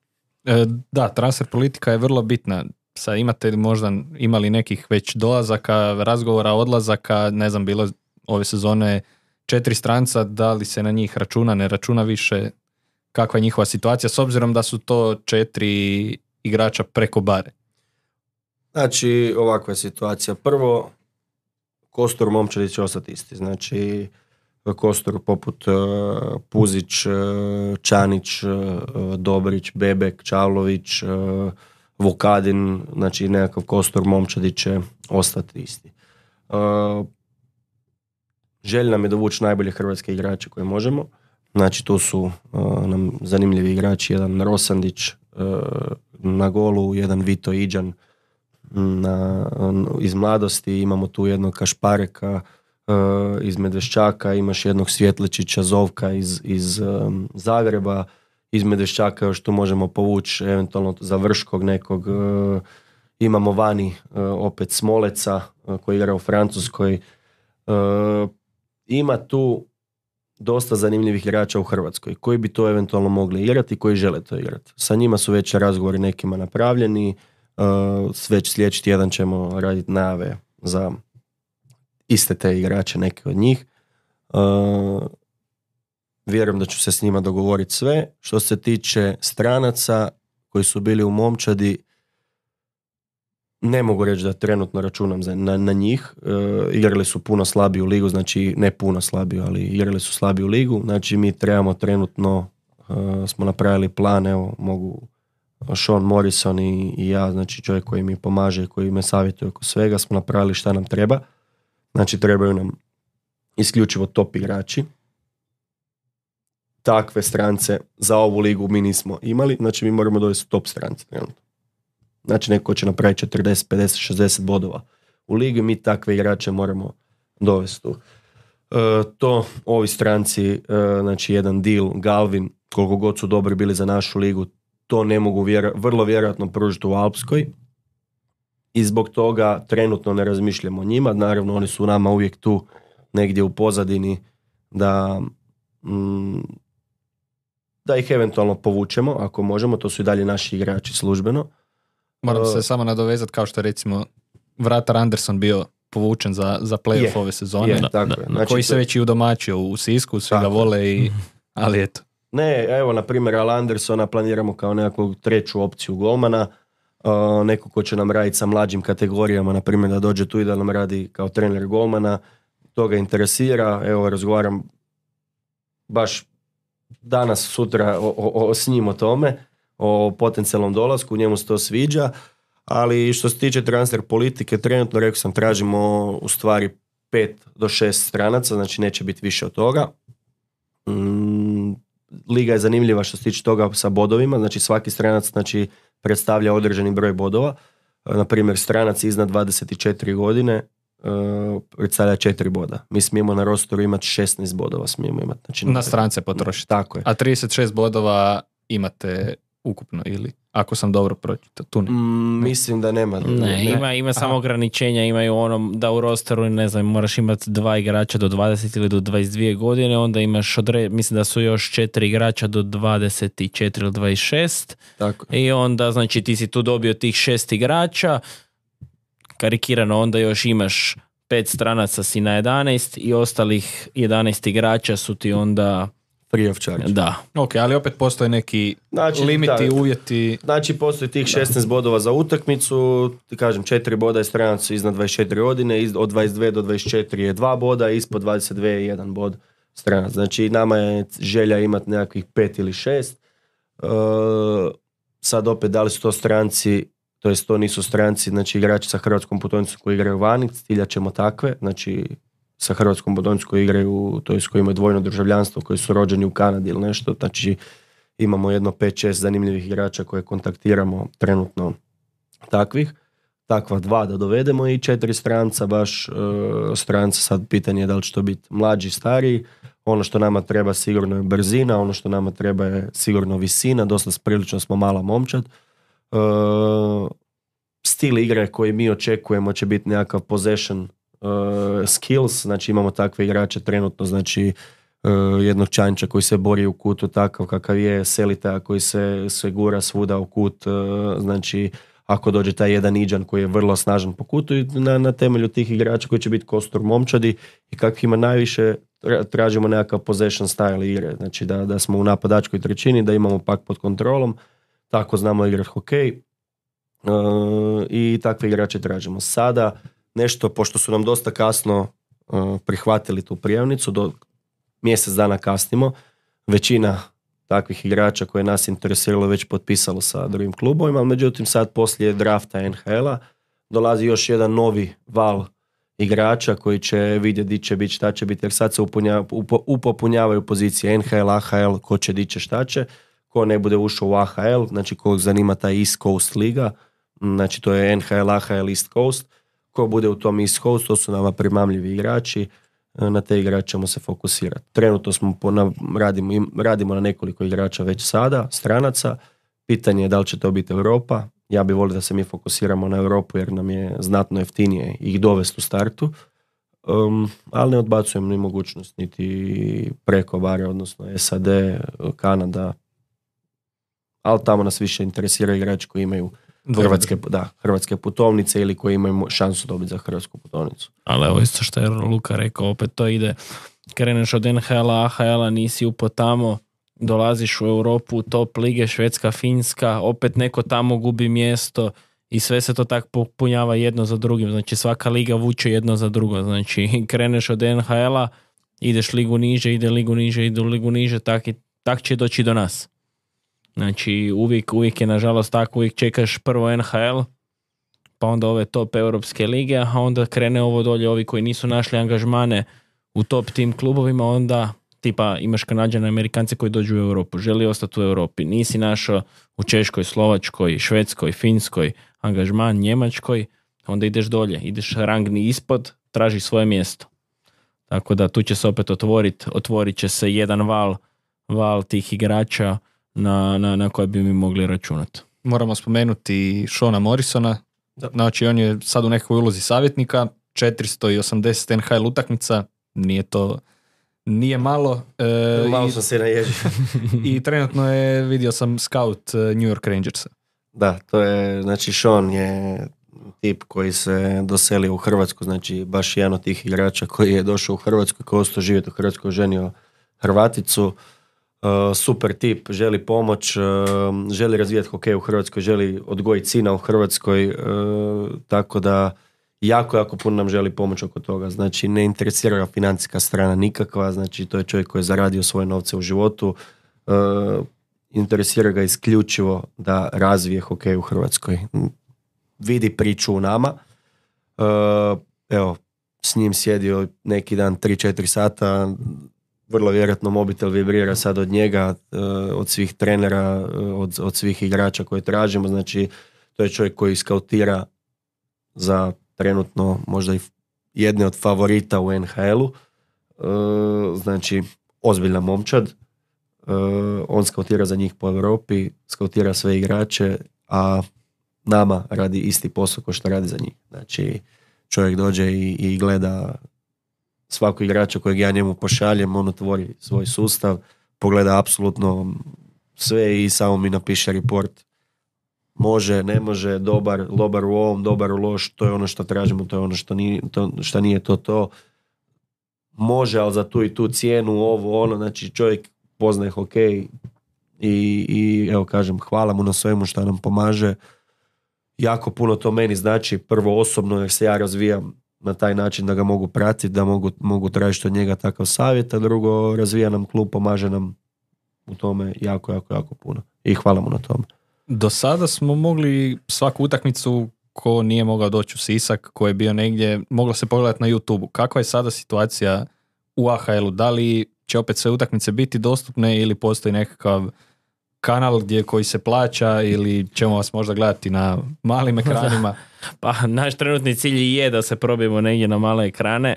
E, da, transfer politika je vrlo bitna. Sad imate možda imali nekih već dolazaka, razgovora, odlazaka, ne znam, bilo ove sezone četiri stranca, da li se na njih računa, ne računa više, kakva je njihova situacija, s obzirom da su to četiri igrača preko bare? Znači, ovakva je situacija. Prvo, kostur momčadi će ostati isti. Znači, kostur poput uh, Puzić, uh, Čanić, uh, Dobrić, Bebek, Čavlović, uh, Vukadin, znači nekakav kostur momčadi će ostati isti. Uh, želja nam je dovući najbolje hrvatske igrače koje možemo. Znači tu su uh, nam zanimljivi igrači, jedan Rosandić uh, na golu, jedan Vito Iđan na, iz mladosti, imamo tu jednog Kašpareka uh, iz Medveščaka, imaš jednog Svjetlečića Zovka iz, iz um, Zagreba, iz Medveščaka još tu možemo povući eventualno za Vrškog nekog, uh, imamo vani uh, opet Smoleca uh, koji igra u Francuskoj, uh, ima tu dosta zanimljivih igrača u Hrvatskoj koji bi to eventualno mogli igrati i koji žele to igrati. Sa njima su već razgovori nekima napravljeni, uh, već sljedeći tjedan ćemo raditi najave za iste te igrače, neke od njih. Uh, vjerujem da ću se s njima dogovoriti sve. Što se tiče stranaca koji su bili u momčadi, ne mogu reći da trenutno računam za, na, na njih. E, igrali su puno slabiju ligu, znači ne puno slabiju, ali igrali su slabiju ligu. Znači mi trebamo trenutno, e, smo napravili plan, evo mogu Sean Morrison i, i ja, znači čovjek koji mi pomaže, koji me savjetuje oko svega, smo napravili šta nam treba. Znači trebaju nam isključivo top igrači. Takve strance za ovu ligu mi nismo imali, znači mi moramo dovesti top strance trenutno. Znači neko će napraviti četrdeset, pedeset, šezdeset bodova u ligi, mi takve igrače moramo dovesti tu. E, to ovi stranci, e, znači jedan deal, Galvin, koliko god su dobri bili za našu ligu, to ne mogu vjera, vrlo vjerojatno pružiti u Alpskoj i zbog toga trenutno ne razmišljamo o njima. Naravno, oni su nama uvijek tu negdje u pozadini da, mm, da ih eventualno povučemo, ako možemo, to su i dalje naši igrači službeno. Moram se Uh, samo nadovezati kao što je recimo vratar Anderson bio povučen za, za playoff Je, ove sezone, je, da, tako da, je. Znači, koji se to- već i udomačio u Sisku, svi ga Tako je. vole, i, ali eto. Ne, evo, na primjer, Al Andersona planiramo kao nekakvu treću opciju golmana, uh, neko ko će nam raditi sa mlađim kategorijama, na primjer da dođe tu i da nam radi kao trener golmana, to ga interesira, evo, razgovaram baš danas, sutra o, o, o, s njim o tome, o potencijalnom dolasku, njemu se to sviđa, ali što se tiče transfer politike, trenutno, rekao sam, tražimo u stvari pet do šest stranaca, znači neće biti više od toga. Mm, Liga je zanimljiva što se tiče toga sa bodovima, znači svaki stranac znači, predstavlja određeni broj bodova. E, Na primjer, stranac iznad dvadeset četiri godine e, predstavlja četiri boda. Mi smijemo na rosteru imati šesnaest bodova, smijemo imati. Znači, Na strance potrošiti. Tako je. A trideset šest bodova imate ukupno, ili ako sam dobro pročitao, tu ne. Mm, mislim da nema. Ne, ima, ima samo ograničenja, imaju ono da u rosteru, ne znam, moraš imati dva igrača do dvadeset ili do dvadeset dvije godine, onda imaš, odre, mislim da su još četiri igrača do dvadeset četiri ili dvadeset šest Tako. i onda, znači, ti si tu dobio tih šest igrača, karikirano, onda još imaš pet stranaca si na jedanaest i ostalih jedanaest igrača su ti onda, Free of charge. da. Ok, ali opet postoje neki Znači, limiti, da. uvjeti. Znači, postoji tih šesnaest bodova za utakmicu, ti kažem, četiri boda je stranac iznad dvadeset četiri godine, iz- od dvadeset dvije do dvadeset četiri je dva boda, ispod dvadeset dvije je jedan bod stranac. Znači, nama je želja imati nekakvih pet ili šest. E, sad opet, da li su to stranci, to jest to nisu stranci, znači igrači sa hrvatskom putovnicom koji igraju vani, ciljat ćemo takve, znači sa hrvatskom putovnicom koji igraju, to jest koji imaju dvojno državljanstvo, koji su rođeni u Kanadi ili nešto, znači imamo jedno pet šest zanimljivih igrača koje kontaktiramo trenutno takvih, takva dva da dovedemo i četiri stranca, baš uh, stranca, sad pitanje je da li će to biti mlađi, stariji, ono što nama treba sigurno je brzina, ono što nama treba je sigurno visina, dosta prilično smo mala momčad. Uh, stil igre koji mi očekujemo će biti nekakav possession uh, skills, znači imamo takve igrače trenutno, znači uh, jednog Čanča koji se bori u kutu takav kakav je, Selita koji se, se gura svuda u kut, uh, znači ako dođe taj jedan Iđan koji je vrlo snažan po kutu i na, na temelju tih igrača koji će biti kostur momčadi i kakvih ima najviše, tra- tražimo nekakav possession style igre, znači da, da smo u napadačkoj trećini, da imamo pak pod kontrolom, tako znamo igrati hokej. Uh, i takve igrače tražimo. Sada nešto, pošto su nam dosta kasno uh, prihvatili tu prijavnicu, do mjesec dana kasnimo, većina takvih igrača koje nas interesiralo već potpisalo sa drugim klubovima, ali međutim sad poslije drafta N H L-a dolazi još jedan novi val igrača koji će vidjeti di će biti, šta će biti, jer sad se upunja, upo, upopunjavaju pozicije N H L, A H L, ko će, di će, šta će. Ko ne bude ušao u A H L, znači kog zanima ta East Coast liga, znači to je N H L, A H L, East Coast, ko bude u tom East Coast, to su nama primamljivi igrači, na te igrače ćemo se fokusirati. Trenutno smo po, na, radimo, radimo na nekoliko igrača već sada, stranaca, pitanje je da li će to biti Europa, ja bih volio da se mi fokusiramo na Europu jer nam je znatno jeftinije ih dovesti u startu, um, ali ne odbacujem ni mogućnost, niti preko bare, odnosno S A D, Kanada, ali tamo nas više interesira igrači koji imaju hrvatske, da, hrvatske putovnice ili koji imaju šansu dobiti za hrvatsku putovnicu. Ali evo isto što je Luka rekao, opet to ide, kreneš od N H L-a, A H L-a, nisi upo tamo, dolaziš u Europu, top lige, Švedska, Finska, opet neko tamo gubi mjesto i sve se to tako popunjava jedno za drugim, znači svaka liga vuče jedno za drugo, znači kreneš od N H L-a, ideš ligu niže, ide ligu niže, ide u ligu niže, tak, i, tak će doći do nas. Znači uvijek, uvijek je nažalost tako, uvijek čekaš prvo N H L, pa onda ove top europske lige, a onda krene ovo dolje, ovi koji nisu našli angažmane u top tim klubovima, onda tipa imaš Kanađane, Amerikance koji dođu u Europu, želi ostati u Europi, nisi našao u Češkoj, Slovačkoj, Švedskoj, Finskoj angažman, Njemačkoj, onda ideš dolje, ideš rangni ispod, tražiš svoje mjesto. Tako da tu će se opet otvoriti, otvorit će se jedan val, val tih igrača na, na, na koje bi mi mogli računati. Moramo spomenuti Shona Morrisona, znači on je sad u nekoj ulozi savjetnika, četiristo osamdeset N H L utakmica, nije to, nije malo. E, malo i, sam se naježio. I trenutno je, vidio sam scout New York Rangersa. Da, to je, znači Sean je tip koji se doselio u Hrvatsku, znači baš jedan od tih igrača koji je došao u Hrvatsku, koji je ostao živjeti u Hrvatskoj, ženio Hrvaticu. Uh, super tip, želi pomoć, uh, želi razvijati hokej u Hrvatskoj, želi odgojiti sina u Hrvatskoj, uh, tako da jako, jako puno nam želi pomoć oko toga. Znači ne interesira ga financijska strana nikakva, znači to je čovjek koji je zaradio svoje novce u životu, uh, interesira ga isključivo da razvije hokej u Hrvatskoj. Vidi priču u nama, uh, evo, s njim sjedio neki dan tri četiri sata, vrlo vjerojatno mobitel vibrira sad od njega, od svih trenera, od, od svih igrača koje tražimo. Znači, to je čovjek koji skautira za trenutno možda i jedne od favorita u N H L-u. Znači, ozbiljna momčad. On skautira za njih po Europi, skautira sve igrače, a nama radi isti posao kao što radi za njih. Znači, čovjek dođe i, i gleda svako igrača kojeg ja njemu pošaljem, on otvori svoj sustav, pogleda apsolutno sve i samo mi napiše report. Može, ne može, dobar, dobar u ovom, dobar u loš, to je ono što tražimo, to je ono što nije to, što nije to, to. Može, ali za tu i tu cijenu, ovo, ono, znači čovjek poznaje hokej i, i evo kažem, hvala mu na svemu što nam pomaže. Jako puno to meni znači, prvo osobno jer se ja razvijam na taj način da ga mogu pratiti, da mogu, mogu tražiti od njega takav savjet, a drugo, razvija nam klub, pomaže nam u tome jako, jako, jako puno. I hvala mu na tome. Do sada smo mogli svaku utakmicu, ko nije mogao doći u Sisak, ko je bio negdje, moglo se pogledati na YouTube-u. Kakva je sada situacija u A H L-u? Da li će opet sve utakmice biti dostupne ili postoji nekakav kanal gdje koji se plaća ili ćemo vas možda gledati na malim ekranima? Pa naš trenutni cilj je da se probijemo negdje na male ekrane,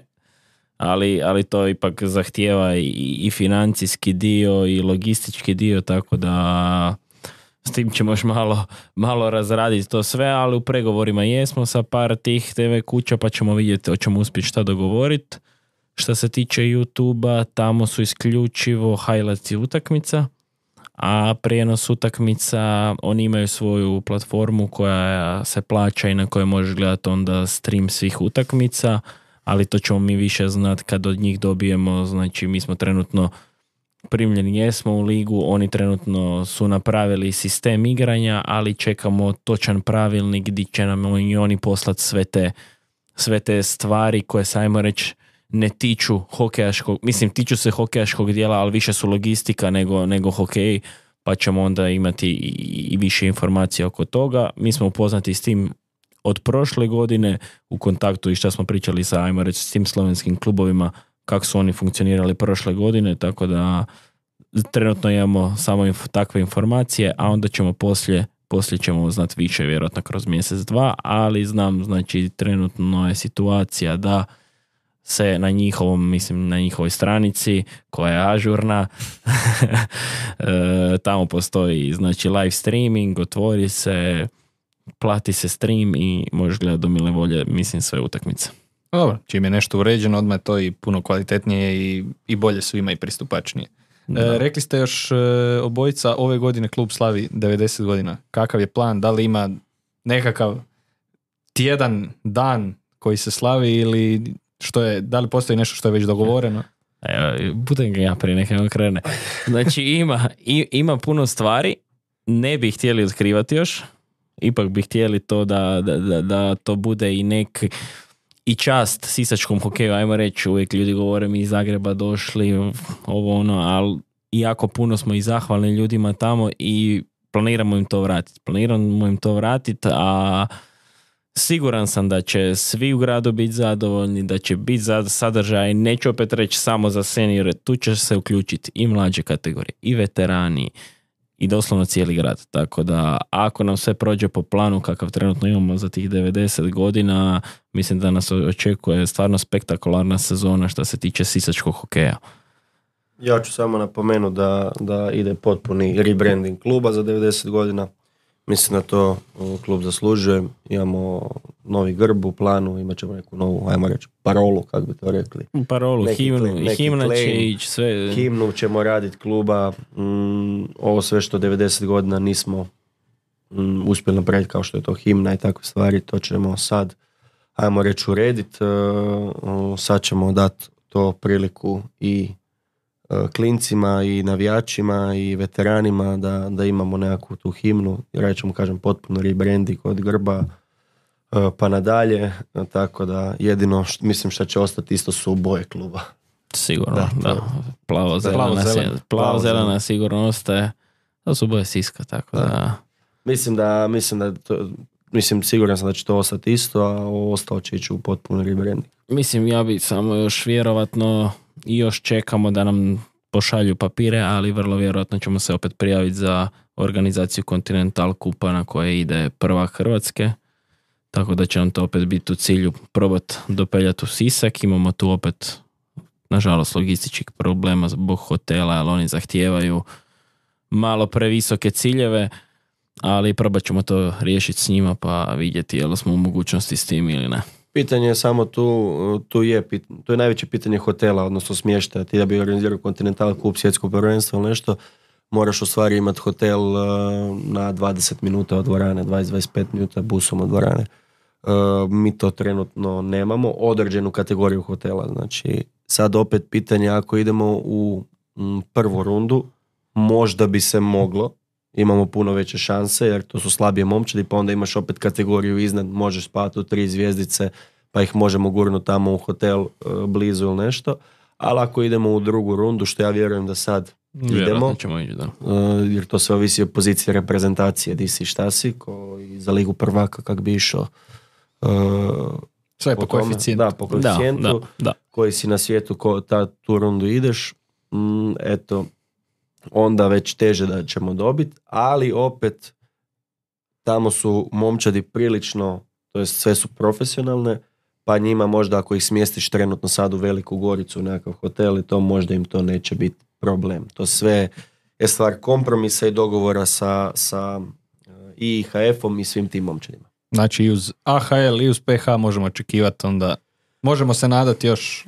ali, ali to ipak zahtijeva i, i financijski dio i logistički dio, tako da s tim ćemo još malo, malo razraditi to sve, ali u pregovorima jesmo sa par tih T V kuća pa ćemo vidjeti, hoćemo uspjeti šta dogovoriti. Što se tiče YouTube-a, tamo su isključivo highlights i utakmica, a prijenos utakmica, oni imaju svoju platformu koja se plaća i na kojoj možeš gledati onda stream svih utakmica, ali to ćemo mi više znati kad od njih dobijemo, znači mi smo trenutno primljeni jesmo u ligu, oni trenutno su napravili sistem igranja, ali čekamo točan pravilnik gdje će nam i oni poslati sve te, sve te stvari koje se, ajmo reći, ne tiču hokejaškog, mislim tiču se hokejaškog dijela, ali više su logistika nego, nego hokej, pa ćemo onda imati i, i više informacija oko toga. Mi smo upoznati s tim od prošle godine u kontaktu i što smo pričali sa, ajmo reći, s tim slovenskim klubovima, kako su oni funkcionirali prošle godine, tako da trenutno imamo samo inf- takve informacije, a onda ćemo poslije, poslije ćemo znati više, vjerojatno kroz mjesec, dva, ali znam, znači trenutno je situacija da se na njihovom, mislim na njihovoj stranici koja je ažurna e, tamo postoji znači live streaming, otvori se, plati se stream i možeš gledati do mile volje, mislim, sve utakmice. Dobro, čim je nešto uređeno, odmah je to i puno kvalitetnije i, i bolje svima i pristupačnije. E, rekli ste još e, obojica, ove godine klub slavi devedeset godina. Kakav je plan? Da li ima nekakav tjedan, dan koji se slavi ili što je, da li postoji nešto što je već dogovoreno? Evo, budem ga ja prije nekako krene. Znači ima, i, ima puno stvari, ne bi htjeli otkrivati još, ipak bi htjeli to da, da, da, da to bude i nek i čast sisačkom hokeju, ajmo reći, uvijek ljudi govore mi iz Zagreba došli, ovo ono, ali jako puno smo i zahvalni ljudima tamo i planiramo im to vratiti. Planiramo im to vratiti, a Siguran sam da će svi u gradu biti zadovoljni, da će biti sadržaj, neću opet reći samo za seniore, tu će se uključiti i mlađe kategorije, i veterani, i doslovno cijeli grad. Tako da ako nam sve prođe po planu kakav trenutno imamo za tih devedeset godina, mislim da nas očekuje stvarno spektakularna sezona što se tiče sisačkog hokeja. Ja ću samo napomenuti da, da ide potpuni rebranding kluba za devedeset godina. Mislim da to klub zaslužuje. Imamo novi grb u planu, imat ćemo neku novu, ajmo reći, parolu, kako bi to rekli. Parolu, neki himnu, claim, i himna claim, će ići sve. Himnu ćemo raditi kluba. Mm, ovo sve što devedeset godina nismo mm, uspjeli napraviti, kao što je to himna i takve stvari, to ćemo sad, ajmo reći, urediti. Uh, sad ćemo dati to priliku i klincima i navijačima i veteranima da, da imamo nekakvu tu himnu, jer ćemo, kažem, potpuno rebranding od grba pa nadalje, tako da jedino što, mislim što će ostati isto su boje kluba. Sigurno, da. da. Plavo-zelena, Plavo-zelena. plavo-zelena sigurno ostaje, to su boje Siska, tako da... da. Mislim da, mislim da to, mislim siguran sam da će to ostati isto, a ovo ostalo će ići u potpuno rebranding. Mislim, ja bi samo još vjerovatno i još čekamo da nam pošalju papire, ali vrlo vjerojatno ćemo se opet prijaviti za organizaciju Continental Kupa na koje ide prvak Hrvatske, tako da će nam to opet biti u cilju probati dopeljati u Sisak. Imamo tu opet, nažalost, logističkih problema zbog hotela, ali oni zahtijevaju malo previsoke ciljeve, ali probat ćemo to riješiti s njima pa vidjeti je li smo u mogućnosti s tim ili ne. Pitanje je samo tu, tu je, tu je najveće pitanje hotela, odnosno smještaja. Ti da bi organizirao Continental Kup, svjetsko prvenstvo ili nešto, moraš u stvari imati hotel na dvadeset minuta od dvorane, dvadeset do dvadeset pet minuta busom od dvorane. Mi to trenutno nemamo, određenu kategoriju hotela. Znači, sad opet pitanje, ako idemo u prvu rundu, možda bi se moglo, imamo puno veće šanse, jer to su slabije momčadi, pa onda imaš opet kategoriju iznad, možeš spati u tri zvjezdice, pa ih možemo gurnuti tamo u hotel blizu ili nešto. Ali ako idemo u drugu rundu, što ja vjerujem da sad idemo, ćemo ići, da. jer to sve ovisi o poziciji reprezentacije, di si šta si, ko i za ligu prvaka kak bi išao. Sve po, po koeficijentu. Da, po koeficijentu, da, da, da. koji si na svijetu, ko ta, tu rundu ideš, mm, eto, onda već teže da ćemo dobiti, ali opet tamo su momčadi prilično, to jest sve su profesionalne, pa njima možda ako ih smjestiš trenutno sad u Veliku Goricu u nekakav hotel i to možda im to neće biti problem. To sve je stvar kompromisa i dogovora sa, sa I H F-om i svim tim momčadima. Znači i uz A H L i uz P H možemo očekivati onda, možemo se nadati još.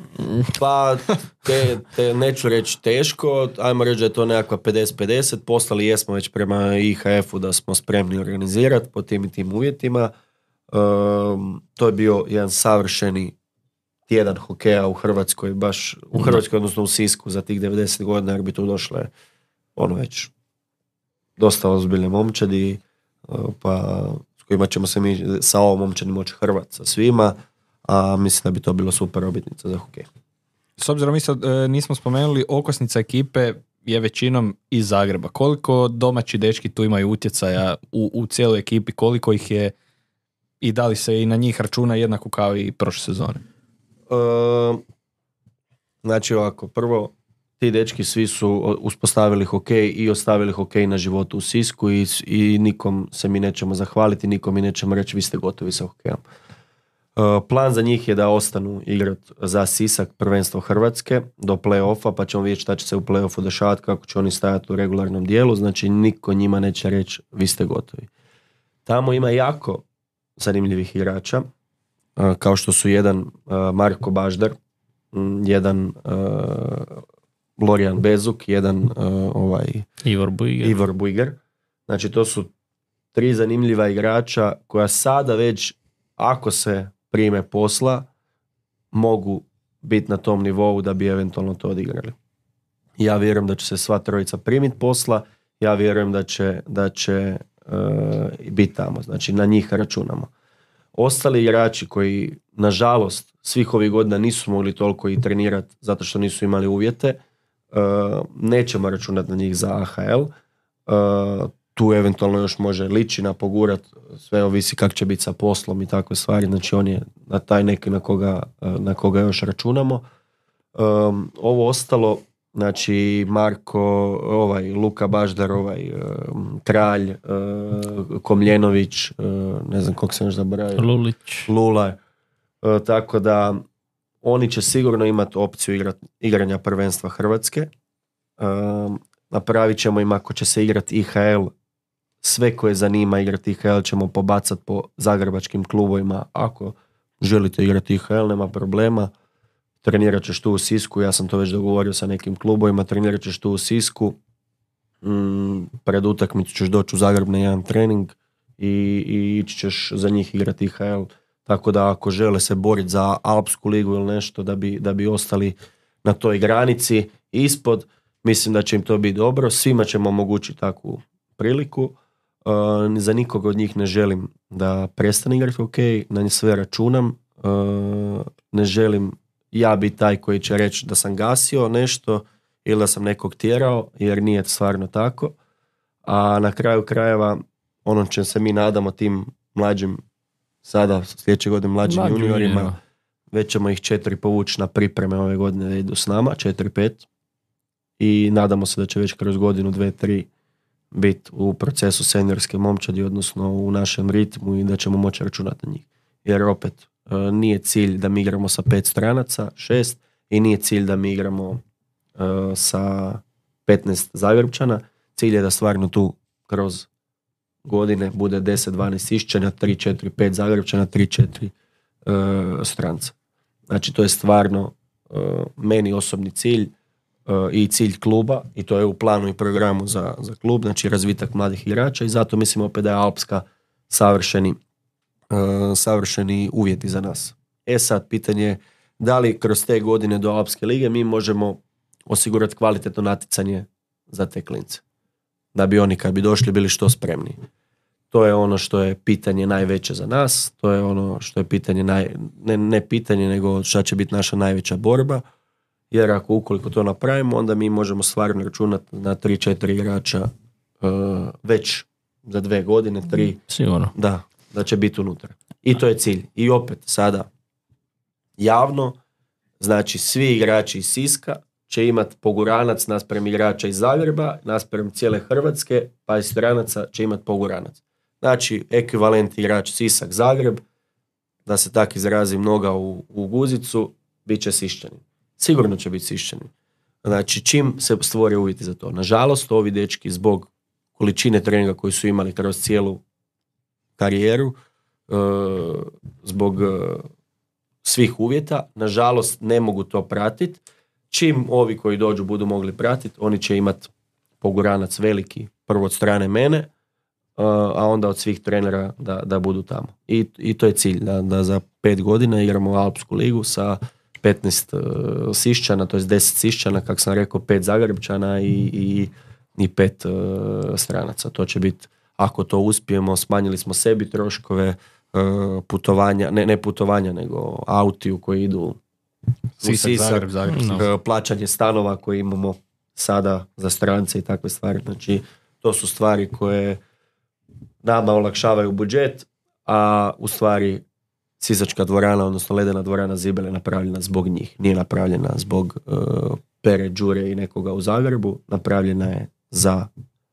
Pa te, te neću reći teško, ajmo reći da je to nekakva pedeset pedeset, poslali jesmo već prema I H F-u da smo spremni organizirati po tim i tim uvjetima. Um, to je bio jedan savršeni tjedan hokeja u Hrvatskoj, baš u Hrvatskoj, odnosno u Sisku za tih devedeset godina, jer bi tu došle ono već dosta ozbiljne momčadi, pa s kojima ćemo se mi sa ovom momčadi moći hrvati sa svima, a mislim da bi to bilo super obljetnica za hokej. S obzirom mi sad e, nismo spomenuli, okosnica ekipe je većinom iz Zagreba. Koliko domaći dečki tu imaju utjecaja u, u cijeloj ekipi, koliko ih je i da li se i na njih računa jednako kao i prošle sezone? E, znači ovako, prvo ti dečki svi su uspostavili hokej i ostavili hokej na životu u Sisku i, i nikom se mi nećemo zahvaliti, nikom mi nećemo reći vi ste gotovi sa hokejom. Plan za njih je da ostanu igrati za Sisak prvenstvo Hrvatske do play-offa, pa ćemo vidjeti šta će se u play-offu dešavati, kako će oni stajati u regularnom dijelu, znači niko njima neće reći vi ste gotovi. Tamo ima jako zanimljivih igrača, kao što su jedan Marko Baždar, jedan Lorijan Bezuk, jedan ovaj Ivor Bujger. Ivor Bujger. Znači to su tri zanimljiva igrača koja sada već, ako se prime posla, mogu biti na tom nivou da bi eventualno to odigrali. Ja vjerujem da će se sva trojica primiti posla, ja vjerujem da će, da će uh, biti tamo, znači na njih računamo. Ostali igrači koji, nažalost, svih ovih godina nisu mogli toliko i trenirati zato što nisu imali uvjete, uh, nećemo računati na njih za A H L. Uh, tu eventualno još može ličina pogurat, sve ovisi kako će biti sa poslom i takve stvari, znači on je na taj neki na koga, na koga još računamo. Um, ovo ostalo, znači Marko, ovaj, Luka Baždar, ovaj, um, Kralj, uh, Komljenović, uh, ne znam kog se još zaboravio. Lulić. Lula. Uh, tako da oni će sigurno imati opciju igrat, igranja prvenstva Hrvatske. Um, napravit ćemo im, ako će se igrati I H L, sve koje zanima igrati I H L ćemo pobacati po zagrebačkim klubovima. Ako želite igrati I H L, nema problema. Trenirat ćeš tu u Sisku, ja sam to već dogovorio sa nekim klubovima, trenirat ćeš tu u Sisku, mm, pred utakmicu ćeš doći u Zagreb na jedan trening i, i ići ćeš za njih igrati I H L. Tako da ako žele se boriti za Alpsku ligu ili nešto da bi, da bi ostali na toj granici ispod, mislim da će im to biti dobro. Svima ćemo omogućiti takvu priliku. Uh, za nikog od njih ne želim da prestane igrati ok, na njih sve računam. Uh, ne želim ja biti taj koji će reći da sam gasio nešto ili da sam nekog tjerao, jer nije stvarno tako. A na kraju krajeva ono će se mi nadamo tim mlađim, sada sljedeće godine mlađim Mlađi juniorima, juniorima. već ćemo ih četiri povući na pripreme ove godine da idu s nama, četiri, pet. I nadamo se da će već kroz godinu, dve, tri biti u procesu seniorske momčadi, odnosno u našem ritmu i da ćemo moći računati na njih. Jer opet, nije cilj da mi igramo sa pet stranaca, šest, i nije cilj da mi igramo uh, sa petnaest Zagrebčana. Cilj je da stvarno tu kroz godine bude deset dvanaest Siščana, tri četiri pet Zagrebčana, tri četiri uh, stranca. Znači to je stvarno uh, meni osobni cilj uh, i cilj kluba, i to je u planu i programu za, za klub, znači razvitak mladih igrača, i zato mislim opet da je Alpska savršeni Uh, savršeni uvjeti za nas. E sad, pitanje je da li kroz te godine do Alpske lige mi možemo osigurati kvalitetno natjecanje za te klince. Da bi oni kad bi došli bili što spremniji. To je ono što je pitanje najveće za nas, to je ono što je pitanje, naj, ne, ne pitanje, nego šta će biti naša najveća borba, jer ako ukoliko to napravimo, onda mi možemo stvarno računati na tri četiri igrača uh, već za dve godine, tri. Sigurno. Da, da će biti unutra. I to je cilj. I opet sada javno, znači svi igrači iz Siska će imati poguranac naspram igrača iz Zagreba, naspram cijele Hrvatske, pa iz stranaca će imati poguranac. Znači ekvivalent igrač Sisak Zagreb, da se tak izrazim, noga u, u guzicu, bit će Siščanin. Sigurno će biti Siščanin. Znači čim se stvore uvjeti za to. Nažalost, ovi dečki zbog količine treninga koji su imali kroz cijelu karijeru, zbog svih uvjeta, nažalost ne mogu to pratiti. Čim ovi koji dođu budu mogli pratiti, oni će imati poguranac veliki, prvo od strane mene, a onda od svih trenera da, da budu tamo. I, i to je cilj, da, da za pet godina igramo Alpsku ligu sa petnaest uh, Siščana, to je deset Siščana, kako sam rekao, pet Zagrebčana i, i, i pet uh, stranaca. To će biti, ako to uspijemo, smanjili smo sebi troškove uh, putovanja, ne, ne putovanja, nego autiju koji idu u Sisak, Sisak, Zagreb, Zagreb. No. uh, plaćanje stanova koje imamo sada za strance i takve stvari. Znači, to su stvari koje nama olakšavaju budžet, a u stvari Sisačka dvorana, odnosno ledena dvorana Zibel je napravljena zbog njih. Nije napravljena zbog uh, Pere, Đure i nekoga u Zagrebu. Napravljena je za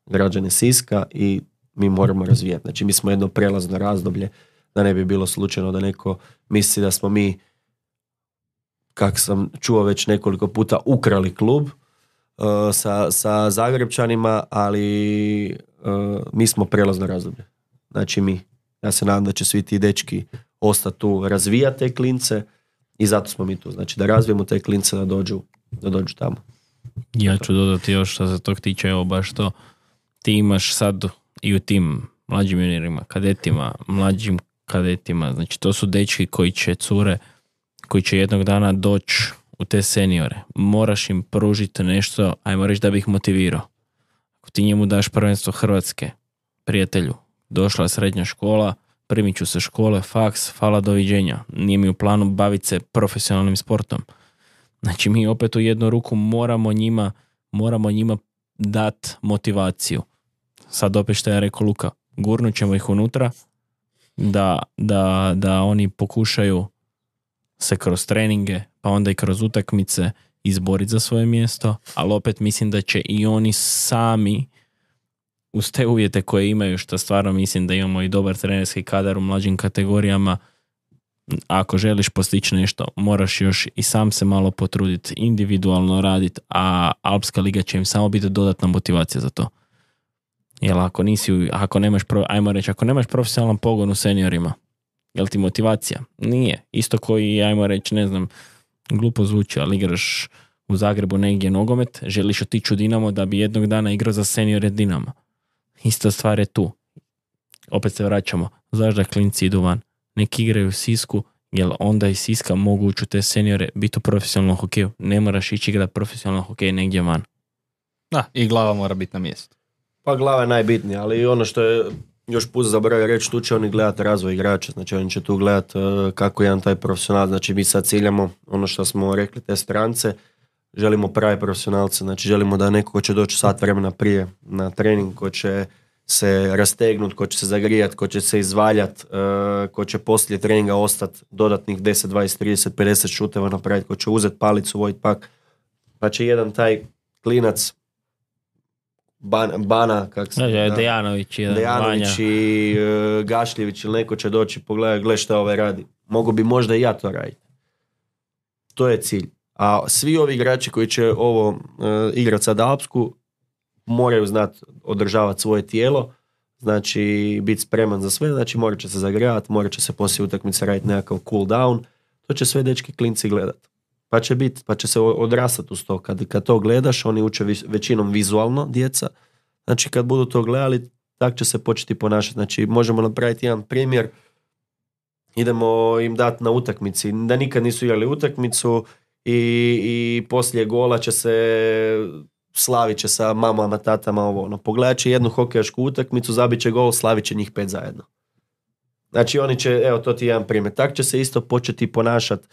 građane Siska i mi moramo razvijati. Znači, mi smo jedno prelazno razdoblje, da ne bi bilo slučajno da neko misli da smo mi, kak sam čuo već nekoliko puta, ukrali klub uh, sa, sa Zagrebčanima, ali uh, mi smo prelazno razdoblje. Znači mi, ja se nadam da će svi ti dečki ostati tu, razvijati te klince i zato smo mi tu. Znači da razvijemo te klince da dođu, da dođu tamo. Ja ću dodati još što se tog tiče, evo baš to. Ti imaš sad i u tim mlađim juniorima, kadetima, mlađim kadetima, znači to su dečki koji će, cure, koji će jednog dana doći u te seniore. Moraš im pružiti nešto, ajmo reći, da bi ih motivirao. Ako ti njemu daš prvenstvo Hrvatske, prijatelju, došla srednja škola, primit ću se škole, faks, hvala, doviđenja. Nije mi u planu baviti se profesionalnim sportom. Znači mi opet u jednu ruku moramo njima, moramo njima dati motivaciju. sad opet što je rekao Luka, gurnut ćemo ih unutra da, da, da oni pokušaju se kroz treninge, pa onda i kroz utakmice izboriti za svoje mjesto, ali opet mislim da će i oni sami uz te uvjete koje imaju, što stvarno mislim da imamo i dobar trenerski kadar u mlađim kategorijama, ako želiš postići nešto, moraš još i sam se malo potruditi, individualno raditi, a Alpska liga će im samo biti dodatna motivacija za to. Jer ako nisi, ako nemaš, ajmo reći, ako nemaš profesionalan pogon u seniorima, jel ti motivacija? Nije. Isto koji, ajmo reći, ne znam, glupo zvuči, ali igraš u Zagrebu negdje nogomet, želiš otići u Dinamo da bi jednog dana igrao za seniore Dinama. Ista stvar je tu. Opet se vraćamo. Zašto da klinci idu van? Neki igraju u Sisku, jer onda iz Siska mogu ući u te seniore, biti u profesionalnom hokeju. Ne moraš ići igrati profesionalno hokej negdje van. Da, i glava mora biti na mjestu. Pa glava je najbitnija, ali ono što je još put zaboravio reći, tu će oni gledati razvoj igrača, znači oni će tu gledati uh, kako je jedan taj profesional, znači mi sad ciljamo ono što smo rekli, te strance, želimo prave profesionalce, znači želimo da neko ko će doći sat vremena prije na trening, ko će se rastegnut, ko će se zagrijat, ko će se izvaljat, uh, ko će poslije treninga ostati dodatnih deset, dvadeset, trideset, pedeset šuteva napraviti, ko će uzeti palicu, vojt pak, pa će jedan taj klinac Ban, Bana, kak se... Da, Dejanović, jedan, Dejanović i uh, Gašljević ili neko će doći pogledati, gle šta ovaj radi. Mogu bi možda i ja to raditi. To je cilj. A svi ovi igrači koji će ovo uh, igrati sad Alpsku moraju znati održavati svoje tijelo, znači biti spreman za sve, znači morat će se zagrijavati, morat će se poslije utakmice raditi nekakav cool down, to će sve dečki klinci gledati. Pa će biti, pa će se odrastati uz to. Kad, kad to gledaš, oni uče većinom vizualno, djeca. Znači kad budu to gledali, tak će se početi ponašati. Znači možemo napraviti jedan primjer, idemo im dati na utakmici, da nikad nisu igrali utakmicu i, i poslije gola će se slavit će sa mamama, tatama, ovo ono. Pogledat će jednu hokejašku utakmicu, zabit će gol, slavit će njih pet zajedno. Znači oni će, evo to ti je jedan primjer. Tak će se isto početi ponašati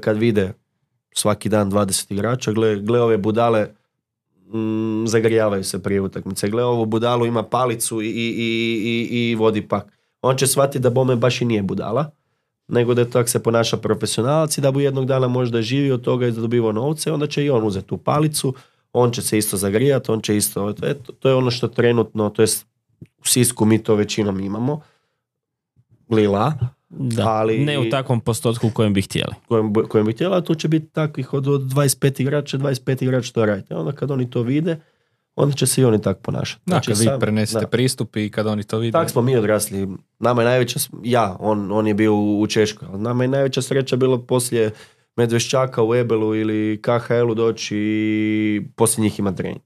kad vide svaki dan dvadeset igrača, gle, gle ove budale mm, zagrijavaju se prije utakmice, gle ovu budalu ima palicu i, i, i, i vodi pak. On će shvatiti da bome baš i nije budala, nego da tako se ponaša profesionalac i da bu jednog dana možda živi od toga i da dobivao novce, onda će i on uzeti tu palicu, on će se isto zagrijati, on će isto, eto, to je ono što trenutno, to jest u Sisku mi to većinom imamo, Lila, da, ali ne u takvom postotku u kojem bi htjeli. Kojem, kojem bi htjeli, a tu će biti takvih od, od dvadeset pet igrača, dvadeset pet igrača to radite. Onda kad oni to vide, onda će se i oni tako ponašati. Da, znači, kad vi prenesete da. pristup i kad oni to vide. Tako smo mi odrasli. Nama je najveća, ja, on, on je bio u Češkoj, nama je najveća sreća bilo poslije Medveščaka u Ebelu ili K H L-u doći i poslije njih ima trening.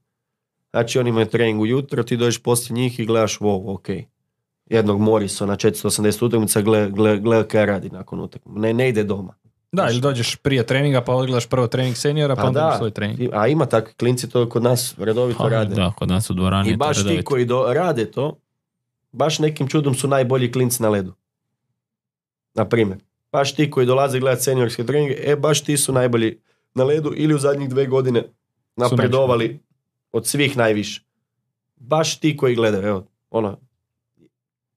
Znači oni imaju trening ujutro, ti dođeš poslije njih i gledaš, wow, ok. Jednog Morisa na četiristo osamdeset utakmica, gle, gle, gle kaj radi nakon utakmice. Ne, ne ide doma. Da, ili dođeš prije treninga pa odgledaš prvo trening seniora pa, pa onda svoj trening. A ima takvi klinci, to kod nas redovito pa, rade. Da, kod nas u dvorani. I baš ti koji do, rade to, baš nekim čudom su najbolji klinci na ledu. Na primjer. Baš ti koji dolaze gledati seniorske treninge, e baš ti su najbolji na ledu ili u zadnjih dve godine napredovali od svih najviše. Baš ti koji gledaju, evo, ono,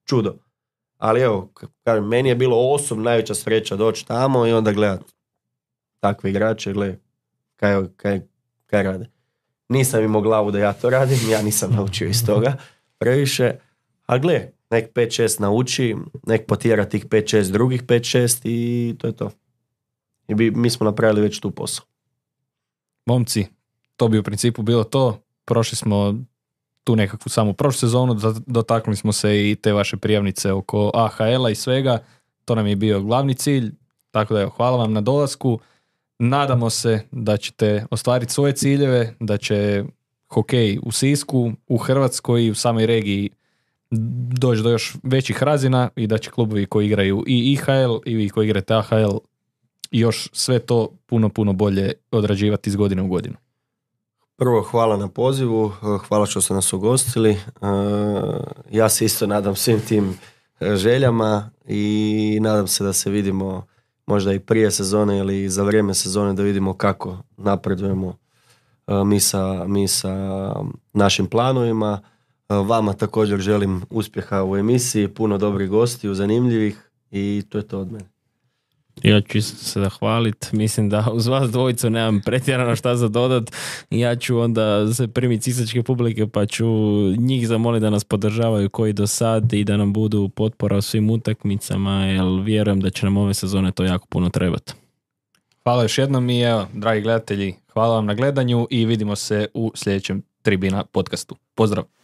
čudo. Ali evo, kažem, meni je bilo osobno najveća sreća doći tamo i onda gledati takve igrače, gledaj kaj, kaj, kaj rade. Nisam imao glavu da ja to radim, ja nisam naučio iz toga previše, a gle, nek pet šest nauči, nek potjera tih pet šest drugih pet šest i to je to. I bi, mi smo napravili već tu posao. Momci, to bi u principu bilo to. Prošli smo tu nekakvu samu prošlu sezonu, dotaknuli smo se i te vaše prijavnice oko A H L-a i svega. To nam je bio glavni cilj, tako da evo, hvala vam na dolasku. Nadamo se da ćete ostvariti svoje ciljeve, da će hokej u Sisku, u Hrvatskoj i u samoj regiji doći do još većih razina i da će klubovi koji igraju i I H L i vi koji igrate A H L još sve to puno, puno bolje odrađivati iz godine u godinu. Prvo, hvala na pozivu, hvala što ste nas ugostili. Ja se isto nadam svim tim željama i nadam se da se vidimo možda i prije sezone ili za vrijeme sezone da vidimo kako napredujemo mi sa, mi sa našim planovima. Vama također želim uspjeha u emisiji, puno dobrih gostiju, zanimljivih i to je to od mene. Ja ću isto se zahvalit. Mislim da uz vas dvojicu nemam pretjerano šta za dodat. Ja ću onda se primiti cisačke publike pa ću njih zamoliti da nas podržavaju koji do sad i da nam budu potpora u svim utakmicama, jer vjerujem da će nam ove sezone to jako puno trebati. Hvala još jednom i evo, dragi gledatelji, hvala vam na gledanju i vidimo se u sljedećem Tribina podcastu. Pozdrav!